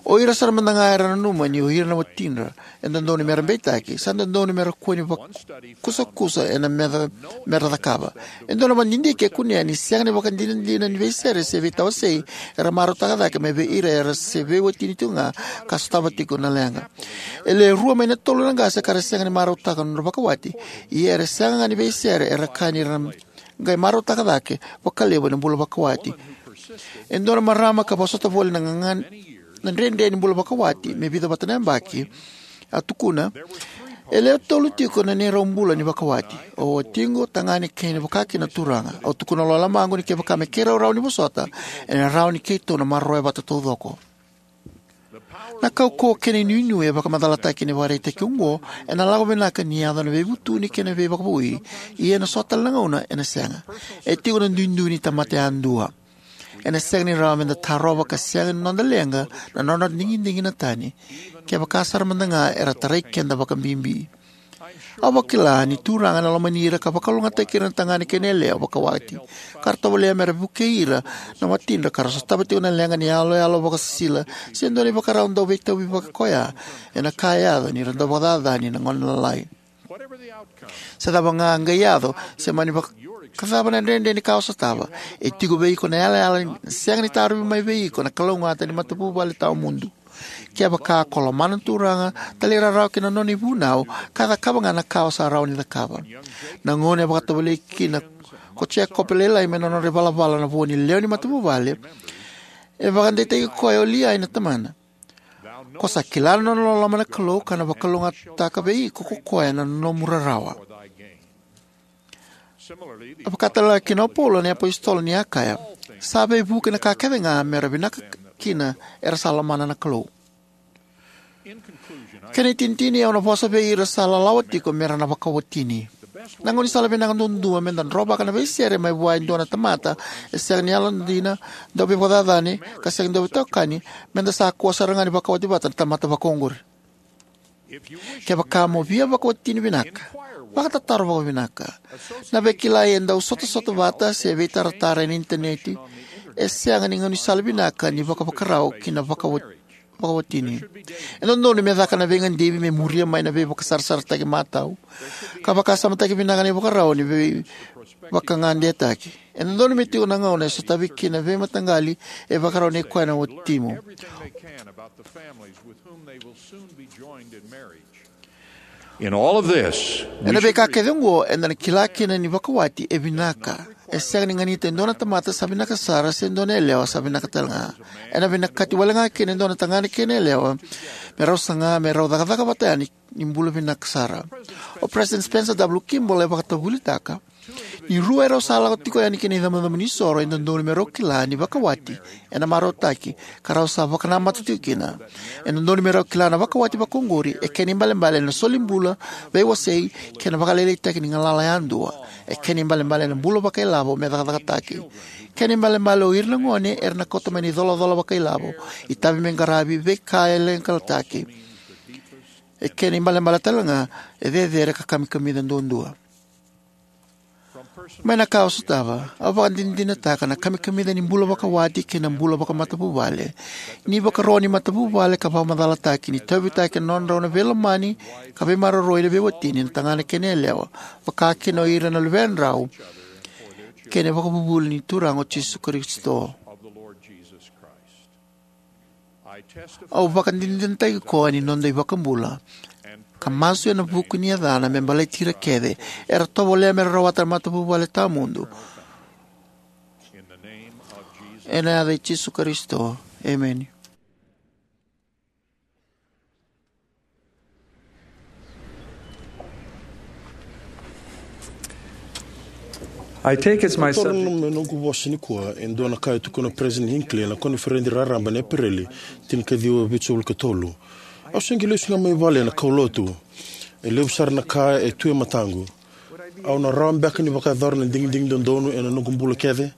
O ira sara mada ga era nanuma ni o ira na watidra e dodonu mera beitaki, sa dodonu mera kua ni vakusakusa ena meca mera cakava. E dua na vakadidike e kunea ni sega ni vakadinadina ni veisere se veitawasei era marautaka cake mai vei ira era se veiwatini tiko ga ka sotava tiko na leqa. E le rua mai na tolu na qase ka ra sega ni marautaka na nodra vakawati, ia era sega ga ni veisere, era kaya ni ra qai marautaka cake vakalevu ena bula vakawati. E dua na marama ka vosota voli na gaga-, na dredre ni bula vakawati me vica vata na yabaki, a tukuna: E lewe tolu tiko na neirau bula ni vakawati. O watiqu, tagane kei na vaka kina na turaga. Au tukuna lo lomaqu ni kevaka me keirau rawa ni vosota, ena rawa ni keitou na maroroya vata taucoko. Na kaukauwa kei na inuinui e vakamacalataki ena ivakaraitaki oqo ena lako vinaka ni yaco na veivutuni kei na veivakavoui, ia ena so tale na gauna ena sega. E tiko na duidui ni tamata yadua. Ena sega ni rawa meda tarova ka sega ni noda leqa na nodra digidigi na tani, kevaka sara mada ga era tarai keda vakabibi. Au vakila ni Turaga ena lomani ira ka vakalougatataki ira na tagane kei na yalewa vakawati, ka ra tovolea mera vukei ira na watidra ka ra sotava tiko na leqa ni yaloyalo vakasisila se dua na ivakarau dau veitauvi vaka koya ena ka e yaco ni ra dau vakacacani na gone lalai. Se cava ga qai yaco, se mani vak- Ka cava na dredre ni ka o sotava? E tiko vei iko na yalayala ni sega ni tarovi mai vei iko na kalougata ni matavuvale tawamudu. Kevaka ko lomana na Turaga, talairawarawa ki na nona ivunau, ka cakava ga na ka o sa rawa ni cakava. Na gauna e vakatovolei kina ko Jekope lailai mai na nodra ivalavala na vo ni lewe ni matavuvale, e vakadeitaki koya o Liai na tamana. Ko sa kila na nona loloma na Kalou, ka na vakalougatataka vei iko ko koya na nomu rarawa. E vaka talega kina o Paula na iapositolo ni a kaya, sa veivuke na ka kece ga me ra vinaka kina era sa lomana na Kalou. Kena itinitini, au na vosa vei ira sa lalawa tiko me ra na vakawatini. Na gaunisala vinaka duadua me da drovaka na veisere mai vua e dua na tamata e sega ni yalodina, dau veivakacacani, ka sega ni dau veitokani, me da sa kua sara ga ni vakawati vata na tamata vakaoqori. Kevaka mo via vakawatini vinaka, vakatataro vakavinaka. Na veikilai e dau sotasota vata se veitaratara ena initaneti e sega ni gaunisala vinaka ni vakavakarau ki na vakawati vakawatini. E dodonu me caka na veigadivi me muria mai na veivakasarasarataki matau, ka vakasamataki vinaka na ivakarau ni veivakagadetaki. E dodonu me tiko na gauna e sotavi kina na veimataqali e vakarau nei koya na watimu. In all of this, we Ena should veika kece oqo, eda na kila kina ni vakawati e vinaka. E sega ni ganita e dua na tamata sa vinaka sara se dua na yalewa sa vinaka talega. Ena vinakati wale ga kina e dua na tagane kei na yalewa me rau saga me rau cakacaka vata yani ni bula vinaka sara. O President Spencer W. Kimball e vakatavulitaka, ni rua e rau sa lako tiko yani ki na icabocabo ni soro, e dodonu me rau kila ni vakawati ena marautaki, ka rau sa vakanamata tiko kina. E dodonu me rau kila na vakawati vakaoqori e kena ibalebale ena solibula, veiwasei, kei na vakalailaitaki ni galala yadua. E kena ibalebale ena bula vakailavo me cakacakataki. Kena ibalebale o ira na gone era na kauta mai na icolacola vakailavo, itavi me qaravi, veika e leqalataki. E kena ibalebale talega e cecere ka kamikamica duadua. Mai na ka au sotava, au vakadinadinataka na kamikamica ni bula vakawati kei na bula vakamatavuvale, ni vakaro ni matavuvale ka vakamacalataki ni tauyavutaki ena nodrau na veilomani ka veimaroroi na veiwatini na tagane kei na yalewa, vaka kina o ira na luvedrau kei na ivakavuvuli ni Turaga o Jisu Karisito. Au vakadinadinataki koya ni noda iVakabula, ka masu ena vuku ni yacana me baleti ira kece era tovolea me ra rawata na matavuvale tawamudu. Ena yaca i Jisu Karisito, emeni. I take as my Toro subject me noqu vosa nikua e dua na ka e tukuna o President Hinckley ena koniferedi raraba ena Epereli tinikaciwa, vitusagavulu ka tolu. Au se qai lesu ga mai vale ena kaulotu. E levu sara na ka e tu e mataqu. Au na rawa beka ni vakayacora na digidigi dodonu ena noqu bula kece?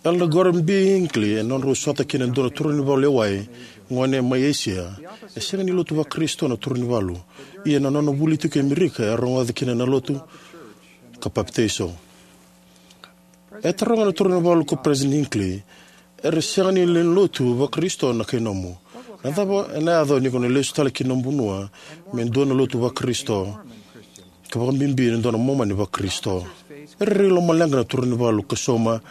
Elder Gordon B. Hinckley, ena nodrau sota kina e dua na turaganivalu e wai, gone mai Esia, e sega ni lotu vaKarisito na turaganivalu. Ia na nona vuli tiko e Amerika, e rogoca kina na lotu ka papitaiso. E taroga na turaganivalu ko President Hinckley, era sega ni lewe ni lotu vaKarisito na kai nomu. Na cava ena yaco ni ko na lesu tale ki nomu vanua me dua na lotu vaKarisito, ka vakabibi na dua na Momani vaKarisito? E rairai lomaleqa na turaganivalu ka sauma,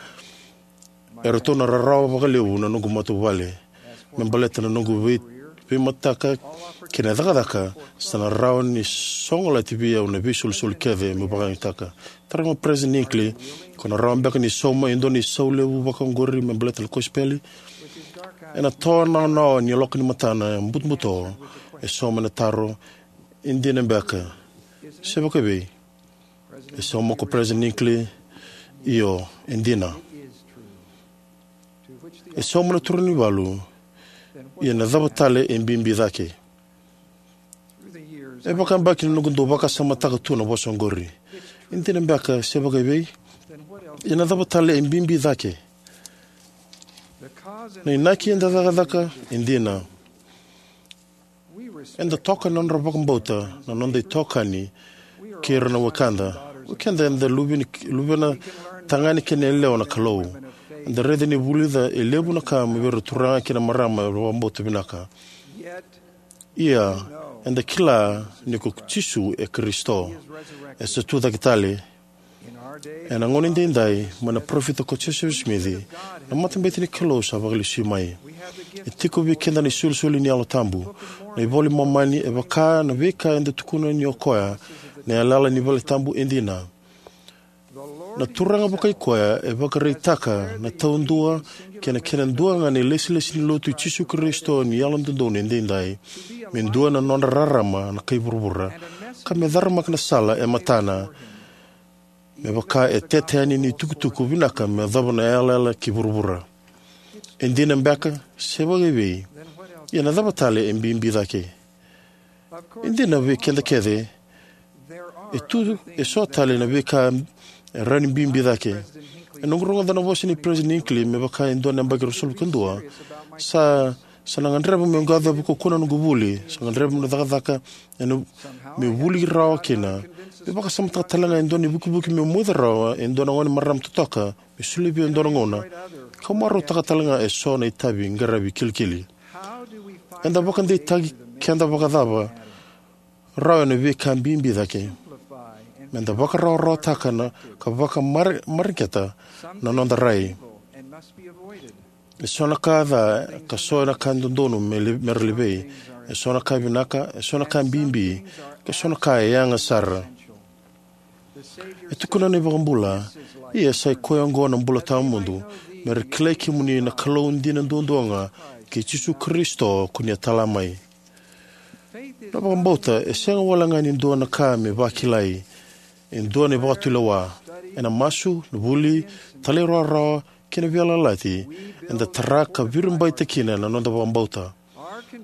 eratou na rarawa vakalevu na noqu matavuvale me baleta na noqu vei, veimataka kei na cakacaka. Sa na rawa ni sogolati vei au na veisolisoli kece meu vakayagataka. Taroga o President Hinckley, ko na rawa beka ni sauma e dua na isau levu vakaoqori me baleta na kosipeli? Ena tawa nawanawa ni yaloka ni matana butobuto, e sauma ena taro, e dina beka? Se vakaevei? E sauma ko President Hinckley, io, e dina. E sauma na turaganivalu, ia na cava tale e bibi cake? E vakayabaki na noqu dau vakasamataka tu na vosa oqori. E dina beka se vakaevei? Ia na cava tale e bibi cake? Na inaki eda cakacaka, e dina. Eda toka na nodra vakabauta na noda itokani kei ira na wekada. O keda eda luve ni, luvena tagane kei na yalewa na Kalou. Eda raica ni vulica e levu na ka mai vei ira na turaga kei na marama era vakabauta vinaka. Ia, eda kila ni ko Jisu e Karisito. E sa tu cake tale. Ena gauna edaidai, mai na parofita ko Josefa Simici, na matabete ni Kalou sa vakalesui mai. E tiko vei keda na isolisoli ni Yalo Tabu, na iVola i Momani, e vaka na veika eda tukuna ni o koya, na yalayala ni valetabu e dina. Na Turaga vakai koya e vakaraitaka na taudua kei na kena dua ga na ilesilesi ni Lotu i Jisu Karisito ni Yalododonu Edaidai, me dua na nodra rarama na kai vuravura, ka me caramaka na sala e matana, me vaka e tete yani ni tukutuku vinaka me yacova na yalayala ki vuravura. E dina beka, se vakaivei? Ia na cava tale e bibi cake? E dina vei keda kece, e tu e so tale na veika e rawa ni bibi cake. E noqu rogoca na vosa ni Peresitedi Hinckley me vaka e dua na yabaki ruasagavulu ka dua, sa, sa na gadreva meu qai kaukaua na noqu vuli, sa gadreva meu cakacaka, ena, meu vuli rawa kina. Meu vakasamataka tale ga e dua na ivukivuki meu moica rawa e dua na gone marama totoka, me solia vei au e dua na gauna. Kau marautaka tale ga e so na itavi qaravi kilikili. Eda vakadeitaki keda vakacava rawa ena veika bibi cake? Meda vakarawarawataka na ka vakamareqeta na noda rai. E so na ka ca, ka so na ka dodonu me li-, mera levei. E so na ka vinaka, e so na ka bibi, ka so na ka e yaga sara. E tukuna na iVakabula, ia sai koya oqo na bula tawamudu, mera kilai kemuni na Kalou dina duadua ga, kei Jisu Karisito ko ni a tala mai. Na vakabauta e sega wale ga ni dua na ka me vakilai, e dua na ivakatulewa. Ena masu, na vuli, talairawarawa, kei na veiyalayalati, eda tara ka viribaita kina na noda vakabauta.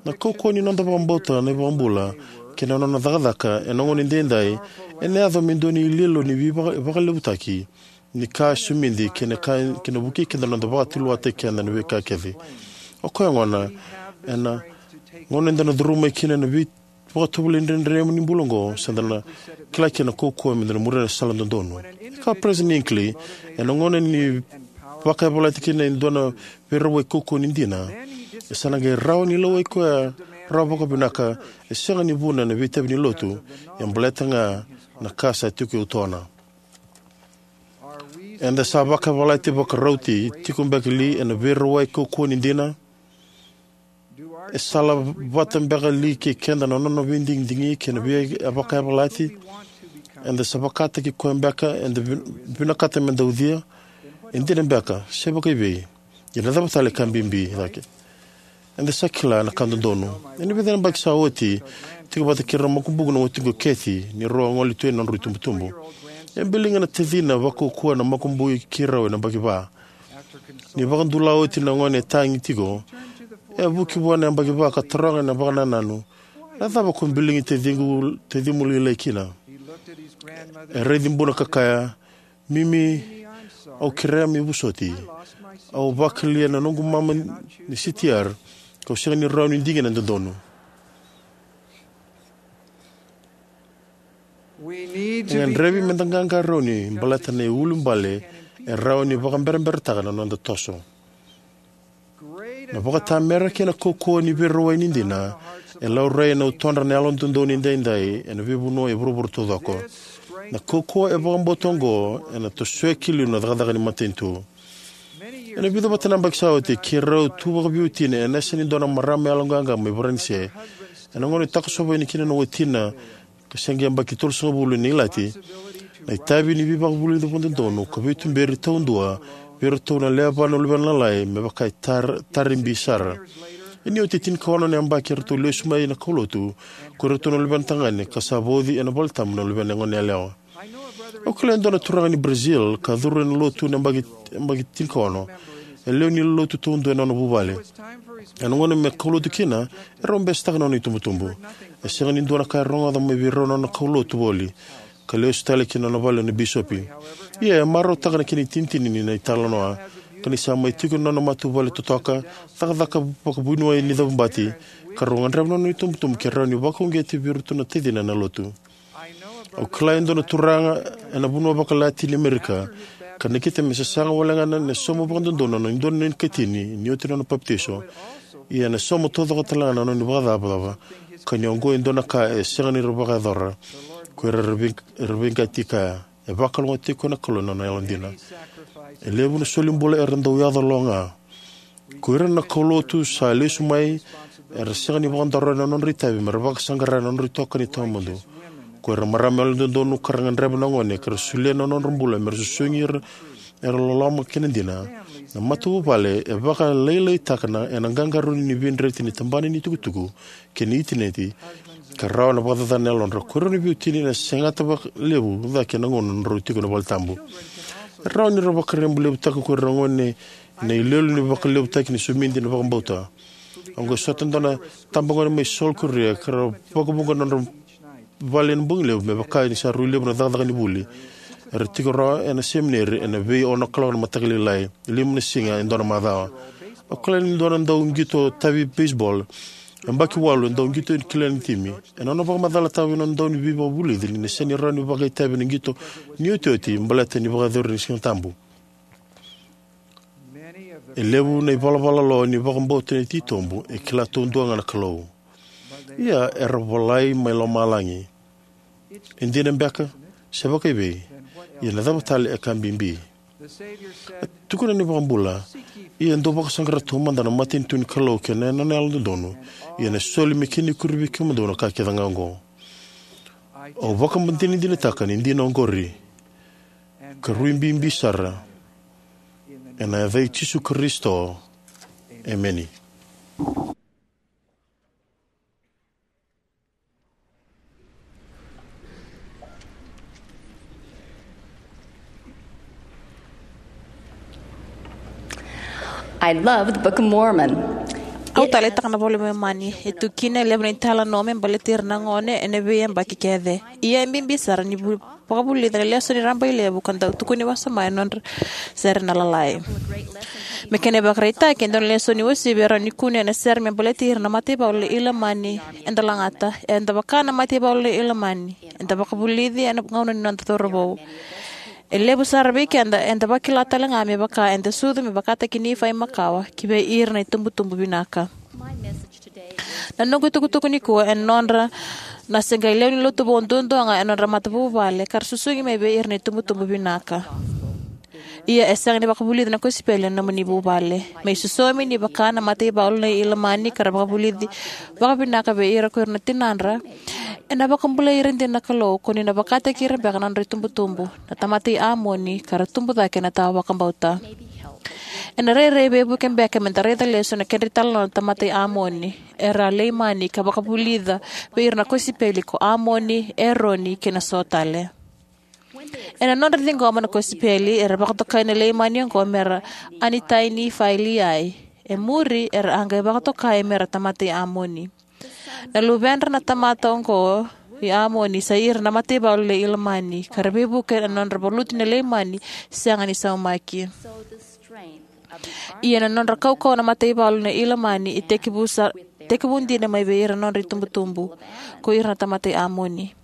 Na kaukauwa ni noda vakabauta na iVakabula kei na nona cakacaka ena gauna edaidai, ena yaco me dua na iloilo ni veivaka-, vakalevutaki ni ka e somidi kei na ka, kei na vukei keda na noda vakatulewataki keda na veika kece. O koya gona, ena gauna eda na curuma mai kina na veivakatovolei dredre ni bula oqo, sa da na kila kina na kaukauwa meda na muria na sala dodonu. Kaya o Peresitedi Hinckley, ena gauna ni vakayavalati kina e dua na veirawai kaukauwa ni dina, e sa na qai rawa ni lewai koya rawa vakavinaka, e sega ni vuna na veitavi ni lotu, ia baleta ga na ka sa tiko e utona. Eda sa vakayavalati vakarauti tiko beka li ena veirawai kaukauwa ni dina? E sala vata beka li kei keda na nona veidigidigi kei na vei-, vakayavalati? Eda sa vakataki koya beka, eda vi-, vinakata meda ucuya? E dina beka, se vakaivei? Ia na cava tale ka bibi cake? Eda sa kila na ka dodonu. Ena vica na yabaki sa oti, tiko vata kei ira na makubuqu na watiqu o Kathy, ni rau a gole tu yani na nodrau itubutubu. E biliga na tacina vakaukauwa na makubui kei rau ena yabaki va. Ni vakadula oti na gone e tagi tiko, e a vuki vua na yabaki va ka taroga ena vakanananu, na cava ko biligi taciqu, tacimu lailai kina? E raici buna ka kaya, Mimi, au kerea me vosoti. Au vakalia na noqu mama ni C T R, kau sega ni rawa ni digina e dodonu. E gadrevi meda qaqarauni baleta na iulubale e rawa ni vakaberaberataka na noda toso. Na vakatamera kei na kaukauwa ni veirawai ni dina e laurai ena utodra na Yalododonu Edaidai ena veivanua e vuravura taucoko. Na kaukauwa e vakabauta oqo ena tosoya ki liu na cakacaka ni matanitu. Ena vica vata na yabaki sa oti, keirau tu vakaveiwatini ena yasa ni dua na marama yaloqaqa mai Varanise. Ena gauna e takosova yani kina na watina, ka se qai yabaki tolusagavulu ni ilati, na itavi ni veivakavulici vakadodonu ka veituberi taudua vei iratou na lewe va na luvena lalai me vaka e tar-, taribi sara. Ia ni oti e tinikaono na yabaki eratou lesu mai na kaulotu ko iratou na luvena tagane, ka sa vauci ena valetabu na luvena gone yalewa. Au kila e dua na turaga ni Brazil ka curu ena lotu ena yabaki, yabaki tinikaono. E lewe ni lotu taudua ena nona vuvale. Ena gauna me kaulotu kina, e rau besetaka na nona itubutubu. E sega ni dua na ka e rogoca mai vei rau na nona kaulotu voli, ka lesu tale ki na nona vale na bisopi. Ia e marautaka na kena itinitini ni na italanoa, ka ni sa mai tiko ena nona matavuvale totoka, cakacaka vakavuniwai ni cavubati, ka rau gadreva na nona itubutubu ke rawa ni vakauqeti vei iratou na tacina ena lotu. Au kila e dua na turaga ena vanua vakaLatini Amerika, ka nakita me sasaga wale ga na, na sauma vakadodonu na dua na ikatini ni oti na nona papitaiso. Ia na sauma taucoko tale ga na nona ivakacavacava, ka ni oqo e dua na ka e sega ni ra vakayacora. Ko ira era vei-, era veiqati kaya. E vakalougatataki koya na Kalou ena nona yalodina. E levu na solibula era dau yaco lo ga. Ko ira na kaulotu sa lesu mai era sega ni vakadaro ena nodra itavi me ra vakasaqara na nodra itokani tawamudu. Ko ira na marama yalododonu ka ra gadreva na gone ka ra solia na nodra bula me ra susugi ira era loloma kei na dina. Na matavuvale e vakalailaitaka na ena qaqarauni ni veidreti ni tabana ni tukutuku kei na itineti ka rawa na vakacacana na yalodra. Ko ira na veiwatini ena segata vakalevu cake na gauna drau tiko na valetabu. E rawa ni ra vakarabailevutaka ko ira na gone na iloilo ni vakalevutaki ni somidi na vakabauta. Oqo e sota dua na tabagone mai South Korea ka ra vakavuqa na nodra vale ena bogi levu me vaka ni sa rui levu na cakacaka ni vuli. Era tiko rawa ena semineri ena vei ono kaloko na mataka lailai, lima na siga e dua na macawa. Au kila ni dua na dau qito tavi beisebol e yabaki walu e dau qito e kila ni timi. Ena nona vakamacalataka vei nona dau ni veivakavulici ni na sega ni rawa ni vakaitavi ena qito ni otioti baleta ni vakayacori ni Siga Tabu. E levu na ivalavala lo ni vakabauta ni titobu e kila taudua ga na Kalou. Ia era volai mai lomalagi. E dina beka? Se vakaivei? Ia na cava tale e ka bibi? E tukuna na iVakabula, ia dou vakasaqara taumada na matanitu ni Kalou kei na nona yalododonu, ia ena soli me kena ikuri vei kemudou na ka kece ga oqo. Au vakadinadinataka ni dina oqori ka rui bibi sara. Ena yaca i Jisu Karisito, emeni. I love the Book of Mormon. Au taleitaka na iVola i Momani. E tu kina e levu na italanoa me baleti ira na gone ena veiyabaki kece. Ia e bibi sara ni vu- vakavulica na lesoni rabailevu ka dau tukuni wasoma ena nodra sere na Lalai. Me kena ivakaraitaki, e dua na lesoni uasivi e rawa ni kune ena sere me baleti ira na mataivalu nei Ilamani eda lagata. Eda vaka na mataivalu nei Ilamani, eda vakavulici ena gauna ni noda cauravou. E levu sara vei keda eda vakila tale ga me vaka eda sucu me vakataki Nifai makawa ki vei ira na itubutubu vinaka. Na noqu itukutuku nikua ena nodra na se qai lewe ni lotu vou duadua ga ena nodra matavuvale ka ra susugi mai vei ira na itubutubu vinaka. Ia e sega ni vakavulici na kosipeli ena nomuni vuvale. Me isosomi, ni vaka na mataivalu nei Ilamani ka ra vakavulici vakavinaka vei ira ko ira na tinadra, ena vakabulai ira dina na Kalou ko ni na vakataki ira beka na nodra itubutubu, na tamata i Amoni, ka ra tubu cake ena tawa vakabauta. Ena rairai veivuke beka meda raica lesu na kedra italanoa na tamata i Amoni, era a Leimani, ka vakavulica vei ira na kosipeli ko Amoni, Eroni, kei na so tale. Ena nodra ciqoma na kosipeli, era vakatokai na Leimani oqo mera Anitai, Nifai, Liai. E muri era a qai vakatokai mera tamata i Amoni. Na luvedra na tamata oqo i Amoni sa ira na mataivalu nei Ilamani, ka ra veivuke ena nodra valuti na Leimani sega ni saumaki. Ia na nodra kaukauwa na mataivalu nei Ilamani e tekivu sa, tekivu dina mai vei ira na nodra itubutubu, ko ira na tamata i Amoni.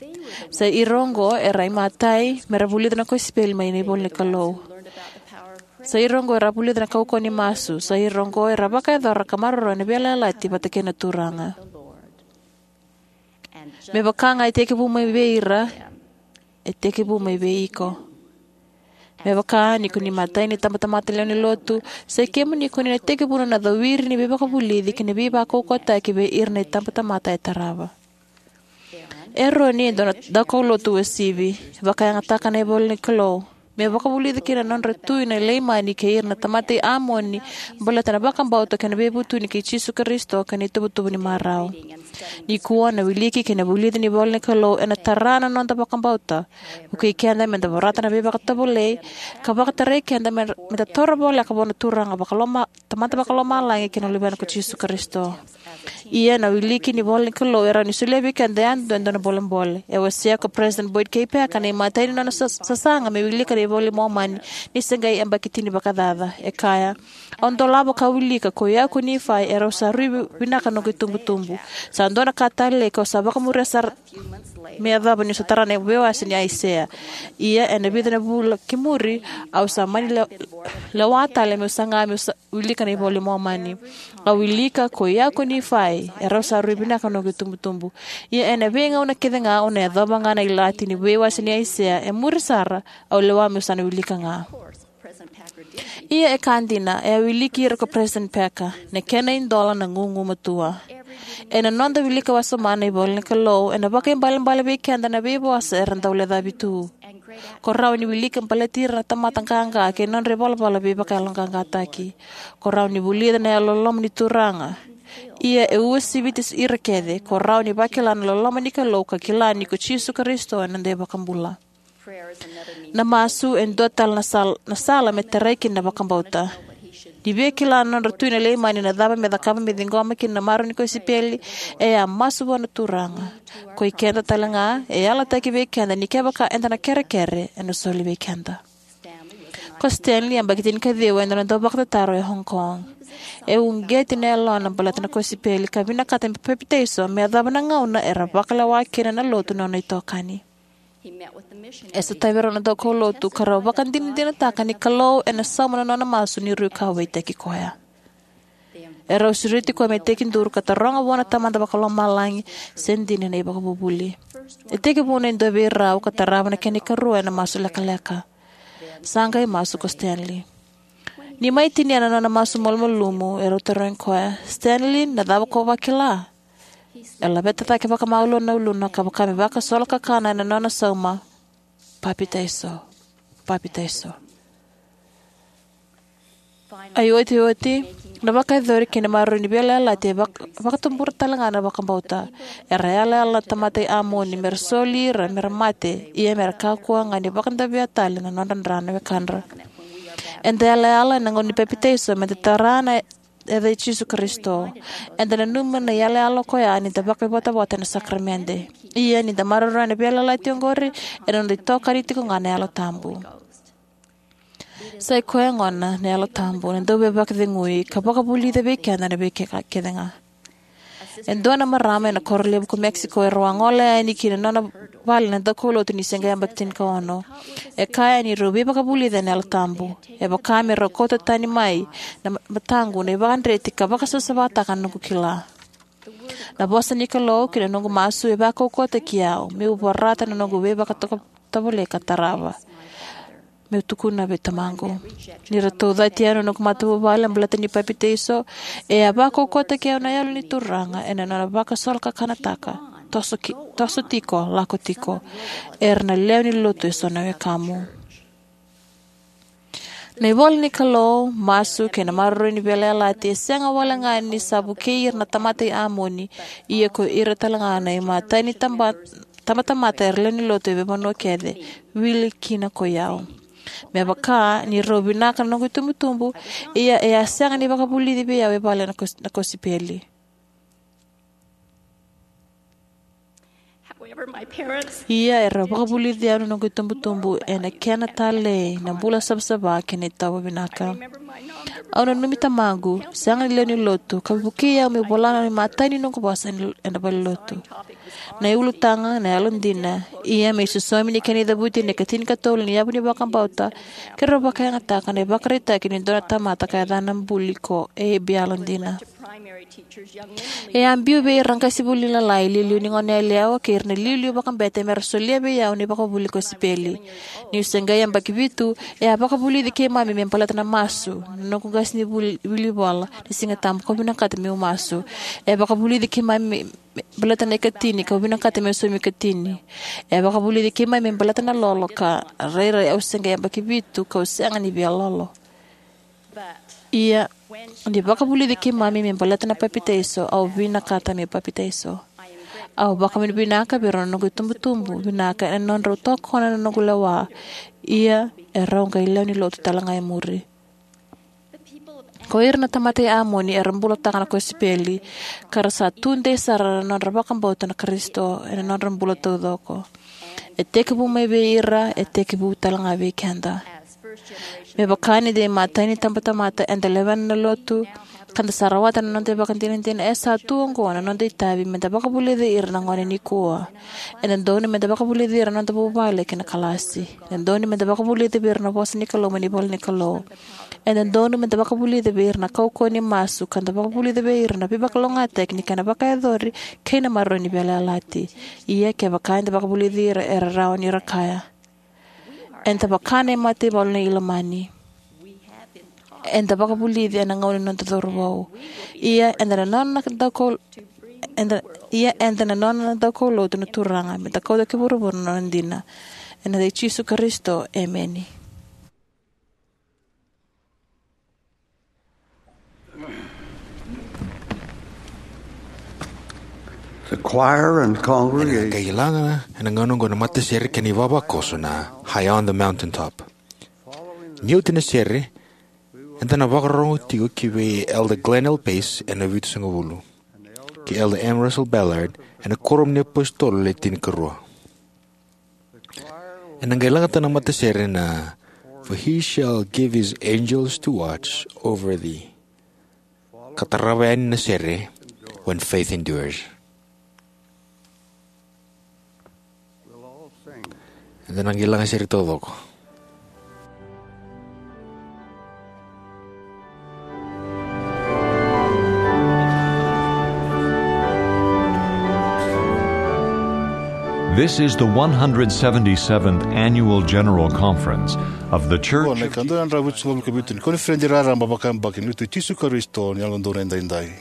Sa ira oqo era a imatai mera vulica na kosipeli mai na ivola ni Kalou. Sa ira oqo era a vulica na kaukauwa ni masu. Sa ira oqo era a vakayacora ka maroroya na veiyalayalati vata kei na Turaga. Me vaka ga e tekivu mai vei ira, e tekivu mai vei iko. Me vaka ni ko ni matai ni tabatamata lewe ni lotu, sa i kemuni ko ni na tekivuna na cowiri ni veivakavulici kei na veivakaukauwataki vei ira na itabatamata e tarava. Eroni e dua na daukaulotu uasivi. Vakayagataka na ivola ni Kalou me vakavulica kina na nodra tui na Leimani kei ira na tamata i Amoni, baleta na vakabauta kei na veivutuni kei Jisu Karisito kei na ituvatuva ni marau. Nikua na wiliki kei na vulici ni ivola ni Kalou ena tara na noda vakabauta. Vukei keda meda vorata na veivakatovolei, ka vakatarai keda me, meda taura voleka vua na Turaga vakaloma, Tamada vakalomalagi kei na Luvena ko Jisu Karisito. Ia na wiliki ni ivola ni Kalou e rawa ni solia vei keda yadua e dua na bolebole. E wasea ko President Boyd K. Packer na imatai ni nona sa, sasaga me wilika na iVola i Momani ni se qai yabaki tini vakacaca. E kaya, au dolava ka wilika ko i au ko Nifai, e rau sa rui vi-, vinaka noqu itubutubu. Sa dua na ka talei kau sa vakamuria sara me yacova niu sa tara na veiwase ni Aisea. Ia ena vica na vula ki muri, au sa mani le-, lewa tale meu saga meu sa wilika na iVola i Momani. Au wilika ko i au ko Nifai, E rau sa rui vinaka na noqu itubutubu. Ia ena veigauna kece ga au na yacova ga na ilati ni veiwase ni Aisea, e muri sara, au lewa meu sa na wilika ga. Ia e ka dina, e a wiliki ira ko President Packer, na kena idola na gugumatua. Ena noda wilika wasoma na ivola ni Kalou, ena vakaibalebale vei keda na veivosa era dau lecavi tu. Ko rawa ni wilika baleti ira na tamata qaqa kei na nodra ivalavala veivakayaloqaqataki. Ko rawa ni vulica na yalololoma ni Turaga. Ia e uasiviti ira kece, ko rawa ni vakila na loloma ni Kalou ka kila ni ko Jisu Karisito ena noda iVakabula. Na masu e dua tale na sal-, na sala me tarai kina na vakabauta. Ni via kila na nodra tui na Leimani na cava me cakava me ciqoma kina na marau ni kosipeli, e a masu vua na Turaga. Ko i keda tale ga, e yalataki vei keda ni kevaka eda na kerekere, ena soli vei keda. Ko Stanley, yabaki tinikaciwa, e dua na dauvakatataro e Hong Kong. E uqeti na yalona baleta na kosipeli ka vinakata me papitaiso me yacova na gauna era vakalewa kina na lotu na nona itokani. E sotavi rau na daukaulotu ka rau vakadinadinataka ni Kalou ena sauma na nona masu ni rui kauwaitaki koya. E rau sureti koya me tekiduru ka taroga vua na Tamada Vakalomalagi se dina na ivakavuvuli. E tekivu na dua vei rau ka tarava na kena ikarua ena masu lekaleka. Sa qai masu ko Stanley. Ni mai tinia na nona masu malumalumu, e rau tarogi koya, "Stanley, na cava ko vakila?" E laveta cake vakamalua na uluna ka vaka me vakasolokakana ena nona sauma, "Papitaiso, papitaiso." Ai otioti, na vakayacori kei na maroroi ni veiyalayalati e vak-, vakatubura tale ga na vakabauta. Era yalayala na tamata i Amoni mera soli ira mera mate, ia mera kakua ga ni vakadavea tale na nodra dra na wekadra. Eda yalayala ena gauna ni papitaiso meda tara na yaca i Jisu Karisito. Eda nanuma na yalayala koya ni da vakaivotavota ena sakaramede. Ia ni da maroroya na veiyalayalati oqori, ena noda itokani tiko ga na Yalo Tabu. Sa i koya gona na Yalo Tabu, na dauveivakacegui, ka vakavulica vei keda na veika kece ga. E dua na marama ena koro levu ko Mexico, e rau a gole yani ki na nona vale na daukaulotu ni se qai yabaki tinikaono. E kaya ni rau veivakavulica ena Yalo Tabu. E vaka me rau kauta tani mai na ma-, mataqu na ivakadreti ka vakasavasavataka na noqu kila. Na vosa ni Kalou kei na noqu masu e vakaukauwataki au, meu vorata na noqu veivakatovolei ka tarava. Meu tukuna vei tamaqu. Ni ratou cati au na noqu matavuvale baleta ni papitaiso, e a vakaukauwataki au na Yalo ni Turaga ena nona vakasolokakanataka. Toso ki-, toso tiko, lako tiko. Era na lewe ni lotu eso na wekamu. Na ivola ni Kalou, masu, kei na maroroi ni veiyalayalati, e sega wale ga ni sa vukei ira na tamata i Amoni, ia ko ira tale ga na imatai ni taba-, tabatamata era lewe ni lotu e veivanua kece, wili kina ko i au. Me vaka ni rau vinaka na noqu itubutubu, ia e a sega ni vakavulici vei au e vale na kos-, na kosipeli. However, my parents Ia era vakavulici au na noqu itubutubu ena kena talei na bula savasava kei na itovo vinaka. Au nanumi tamaqu, sega ni lewe ni lotu, ka vukei au meu vola na imatai ni noqu vosa ena, ena valenilotu. Na iulutaga, na yalodina, ia me isosomi ni kena icavuti na ikatinikatolu ni yavu ni vakabauta, keirau vakayagataka na ivakaraitaki ni dua na tamata ka yacana buli ko Abe Yalodina. E a biu vei ira na qasenivuli lalai, iliuliu ni goneyalewa kei ira na iliuliu vakabete mera solia vei au na ivakavuvuli kosipeli. Niu se qai yabaki vitu, e a vakavulici keimami me baleta na masu, na noqu qasenivuli, vuli vola, na Siga Tabu, kau vinakata meu masu. E a vakavulici keimami me, me baleta na ikatini, kau vinakata meu saumi ikatini. E a vakavulici keimami me baleta na lolo ka rairai au se qai yabaki vitu, kau sega ni via lolo. Ia, ni vakavulici keimami me baleta na papitaiso, au vinakata meu papitaiso. Au vakavinavinaka vei rau na noqu itubutubu vinaka ena nodrau tokona na noqu lewa. Ia, e rau qai lewe ni lotu tale ga e muri. Ko ira na tamata i Amoni era bulataka na kosipeli, ka ra sa tudei sara na nodra vakabauta na Karisito ena nodra bula taucoko. E tekivu mai vei ira, e tekivu tale ga vei keda. Me vaka ni da imatai ni tabatamata eda lewena na lotu, Ka da sa rawata na noda ivakadinadina, e sa tu oqo na noda itavi me da vakavulici ira na gone nikua. E dodonu me da vakavulici ira na noda vuvale kei na kalasi. E dodonu me da vakavulici vei ira na vosa ni Kalou mai na ivola ni Kalou. E dodonu me da vakavulici vei ira na kaukauwa ni masu, ka da vakavulici vei ira na veivakalougatataki ni kena vakayacori kei na maroroi ni veiyalayalati. Ia kevaka eda vakavulici ira, era rawa ni ra kaya, eda vaka na mataivalu nei Ilamani. Eda vakavulici ena gauna ni noda cauravou. Ia eda na nona na daukau-, eda, ia eda na nona na daukaulotu na Turaga, me da kauta ki vuravura na nona dina. Ena yaca i Jisu Karisito, emeni. The choir and congregation. Ena qai laga ena gauna oqo na matasere kei na ivavakoso na High on the Mountaintop. Ni oti na sere, eda na vakarorogo tiko ki vei Elder Glenn L. Pace ena vitusagavulu, kei Elder M. Russell Ballard ena Kuoramu ni iApositolo Le Tinikarua. Ena qai lagata na matasere na For he shall give his angels to watch over thee. Ka tarava yani na sere When Faith Endures. Eda na qai laga sere taucoko. This is the one hundred seventy-seventh Annual General Conference of the Church. Qo na ikadua na drau vitusagavulu ka vitu ni koniferedi raraba vakayabaki ni Lotu i Jisu Karisito ni Yalododonu Edaidai.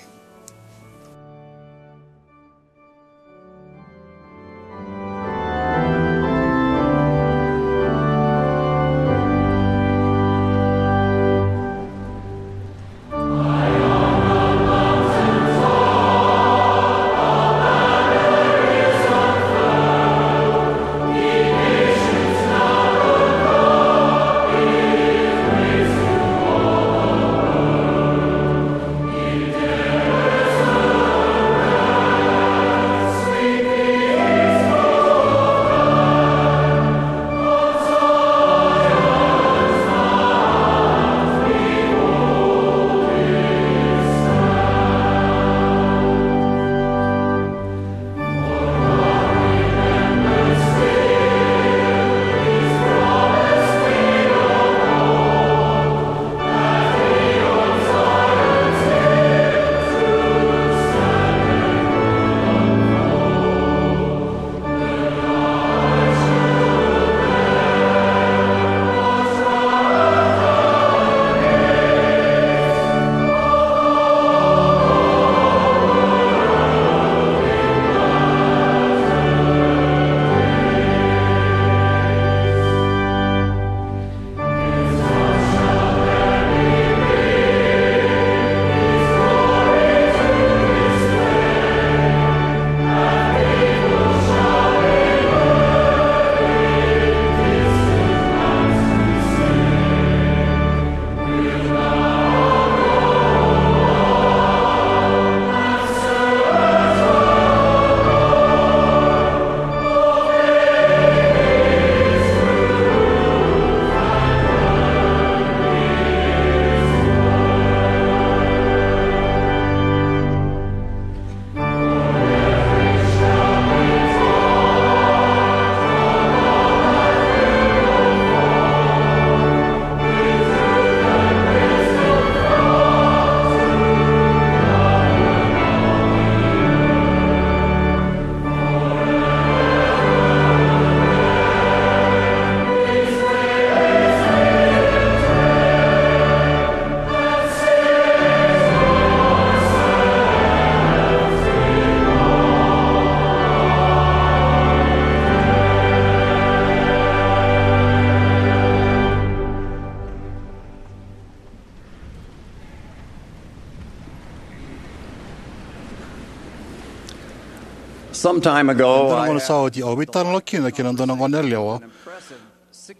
Some time ago, I asked a fellow, sa oti au veitalanoa kina kei na dua na goneyalewa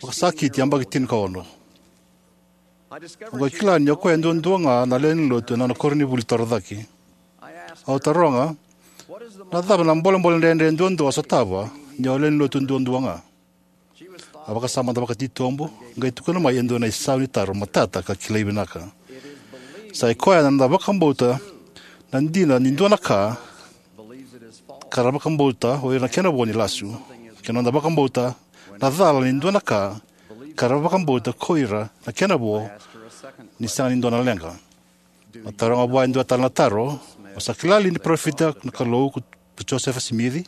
vakasakiti yabaki tinikaono. Au qai kila ni o koya duadua ga na lewe ni lotu ena nona koronivuli torocake. Au taroga, na cava na bolebole dredre duadua o sotava ni o lewe ni lotu duadua ga? A vakasama mada vakatitobu, qai tukuna mai e dua na isau ni taro matata ka kilai vinaka. Sa i koya na noda vakabauta na dina ni dua na ka, ka ra vakabauta o ira na kena vo ni lasu, kei na noda vakabauta na cala ni dua na ka, ka ra vakabauta ko ira na kena vo ni sega ni dua na leqa. Na taroga vua e dua tale na taro: O sa kila li ni parofita na Kalou ko Josefa Simici?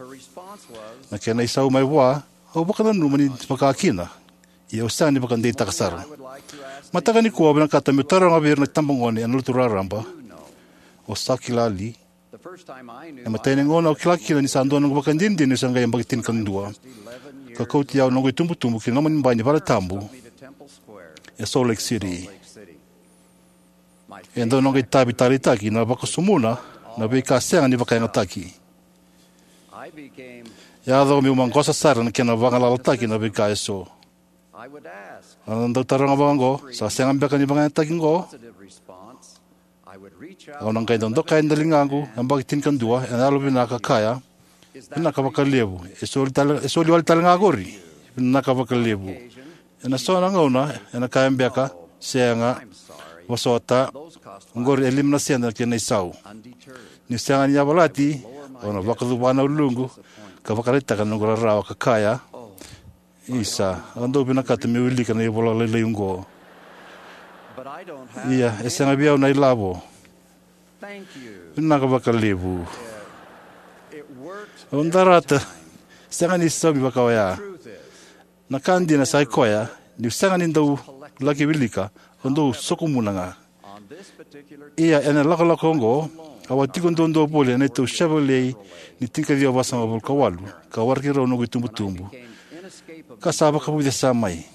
Na kena isau mai vua: Au vakananuma ni vaka kina, ia au sega ni vakadeitaka sara. Mataka nikua au vinakata meu taroga vei ira na itabagone ena Lotu raraba: O sa kila li? Na imatai ni gauna au kila kina ni sa dua na noqu ivakadinadina niu se qai yabaki tinikadua, ka kauti au na noqu itubutubu ki na loma ni bai ni valetabu e Salt Lake City. E dua na noqu itavi taleitaki na vakasumuna na veika sega ni vakayagataki. Yaco meu maqosa sara na kena vagalalataki na veika eso. Au na dau taroga vaqo: Sa sega beka ni vakayagataki oqo? Au na qai dau dokai na ligaqu yabaki tinikadua ena yalovinaka ka kaya: Vinaka vakalevu. E soli tale, e soli wale tale ga oqori? Vinaka vakalevu. Ena so na gauna ena kaya beka: Sega, vosota, oqori e lima na sede na kena isau. Niu sega ni yavalati, au na vakacuva na uluqu ka vakaraitaka na noqu rarawa ka kaya: Isa, au dau vinakata meu wilika na ivola lailai oqo, ia e sega vei au na ilavo. Vinaka vakalevu. Au darata. Sega ni saumi vaka oya. Na ka dina sa i koya, niu sega ni dau laki wilika, au dau sokomuna ga. Ia ena ilakolako oqo, au a tiko duadua voli ena neitou Chevrolet ni tinikaciwa vasagavulu ka walu, ka waraki rau noqu itubutubu, ka sa vakavucesa mai.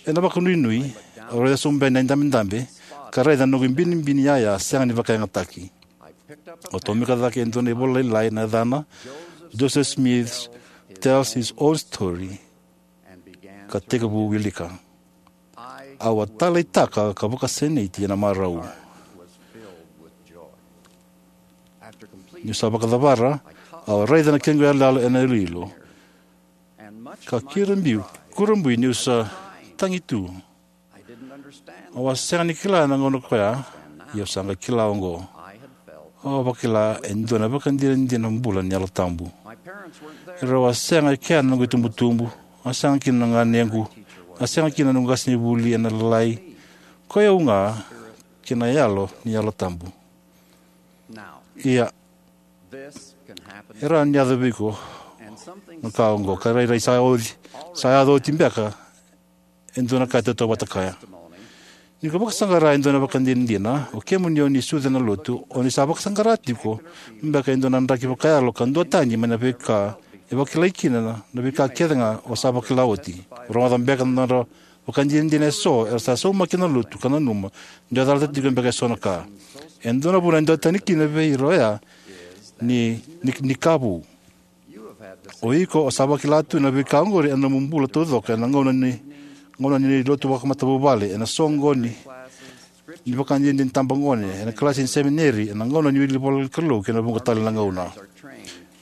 Ena vakanuinui, au raica sobu yani na idabedabe, ka raica na noqu ibinibini yaya sega ni vakayagataki. Au tomika cake e dua na ivola lailai na yacana Joseph Smith Tells His Own Story, ka tekivu wilika. Au a taleitaka ka vakasinaiti ena marau. Niu sa vakacavara, au a raica na kequ iyaloyalo ena iloilo, ka kirabiu, kurabui niu sa tagi tu. Au a sega ni kila na gauna koya, ia au sa qai kila oqo. Au a vakila e dua na vakadinadina bula ni Yalo Tabu. Erau a sega e kea na noqu itubutubu, a sega kina na ganequ, a sega kina na noqu qasenivuli ena Lalai, koi au ga kei na Yalo ni Yalo Tabu. Ia, e rawa ni yaco vei iko na ka oqo, ka rairai sa oti, sa yaco oti beka e dua na ka e tautauvata kaya. Ni ko vakasaqara e dua na vakadinadina, o kemuni o ni sucu ena Lotu, o ni sa vakasaqara tiko beka e dua na draki vakayalo ka duatani mai na veika e vakilai kina na, na veika kece ga o sa vakila oti. Rogoca beka na nodra vakadinadina eso era sa saumaki ena Lotu ka nanuma ni dua e calata tiko beka eso na ka. E dua na vuna e duatani kina vei ira oya ni, ni, ni ka vou. O iko o sa vakila tu na veika oqori ena nomu bula taucoko ena gauna ni, gauna ni lotu vakamatavuvale, ena soqoni ni vakadinadina ni tabagone, ena kalasi ni semineri, ena gauna ni wili ivolanikalou kei na vuqa tale na gauna.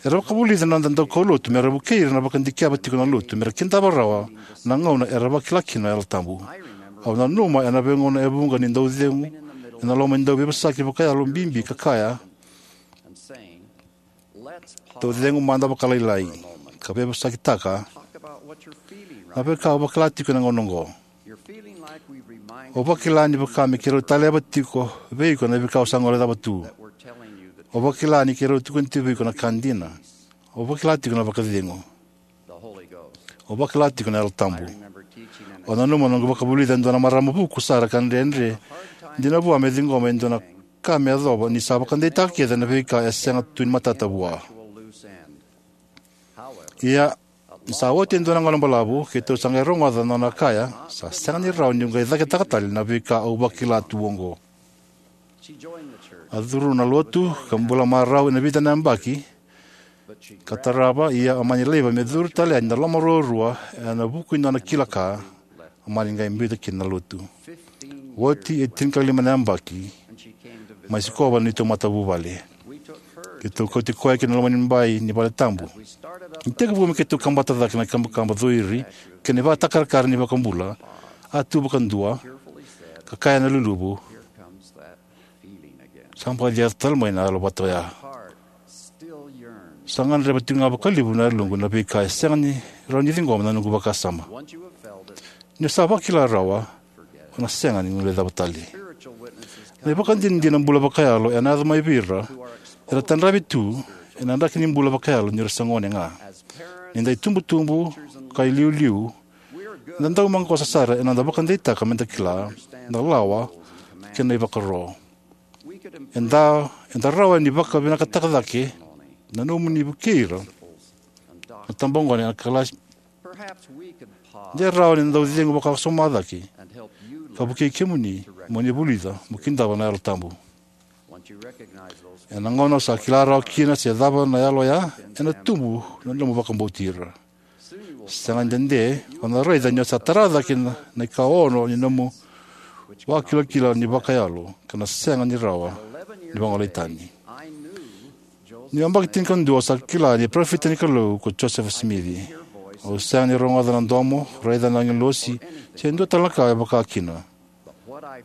Era vakavulica na noda daukaulotu mera vukei ira na vakadikeva tiko na Lotu mera kidava rawa na gauna era vakila kina na Yalo Tabu. Au nanuma ena veigauna e vuqa niu dau cegu ena loma ni dau veivosaki vakayalo bibi ka kaya: Dou cegu mada vakalailai ka veivosakitaka na veika o vakila tiko ena gauna oqo. O vakila ni vaka me keirau taleva tiko vei iko na veika o sa guilecava tu. O vakila ni keirau tukuna tiko vei iko na ka dina. O vakila tiko na vakacegu. O vakila tiko na Yalo Tabu. Au nanuma noqu vakavulica e dua na marama vuku sara ka dredre dina vua me ciqoma e dua na ka me yacova ni sa vakadeitaka kece na veika e sega tu ni matata vua. Ia, ni sa oti e dua na gauna balavu, keitou sa qai rogoca na nona kaya: Sa sega ni rawa niu qai cakitaka tale na veika au vakila tu oqo. A curu na Lotu ka bula marau ena vica na yabaki, ka tarava, ia a mani laiva me curu tale yani na loma ruarua ena vuku ni nona kila ka, a mani qai biuta kina na Lotu. Oti e tinikalima na yabaki, mai Sikova na neitou matavuvale. Keitou kauti koya ki na loma ni bai ni vale tabu. Ni tekivu me keitou kabata cake na kabakaba coiri kei na ivakatakarakara ni iVakabula, a tu vakadua, ka kaya na luluvu: Sa baci yaco tale mai na yalo vata oya. Sa gadreva tiko ga vakalevu na yaloqu na veika e sega ni rawa ni ciqoma na noqu vakasama. Ni o sa vakila rawa, o na sega ni guilecava tale. Na ivakadinadina bula vakayalo ena yaco mai vei ira era tadravi tu ena draki ni bula vakayalo ni ra se gone ga. Ni da itubutubu ka iliuliu, eda dau maqosa sara ena noda vakadeitaka meda kila na lawa kei na ivakaro. Eda, eda rawa ni vakavinakataka cake na nomuni vukei ira na tabagone ena kalasi. De rawa ni da dau cegu vakasoma cake ka vukei kemuni mo ni vulica mo kidava na Yalo Tabu. Ena gauna o sa kila rawa kina se cava na yalo oya, ena tubu na nomu vakabauti ira. Sega ni dede, o na raica ni o sa tara cake na, na ikaono ni nomu vakilakila ni vakayalo, ka na sega ni rawa ni vagolei tani. Ni yabaki tinikadua, o sa kila ni parofita ni Kalou ko Josefa Simici. Au sega ni rogoca na domo, raica na agilosi, se dua tale na ka e vaka kina.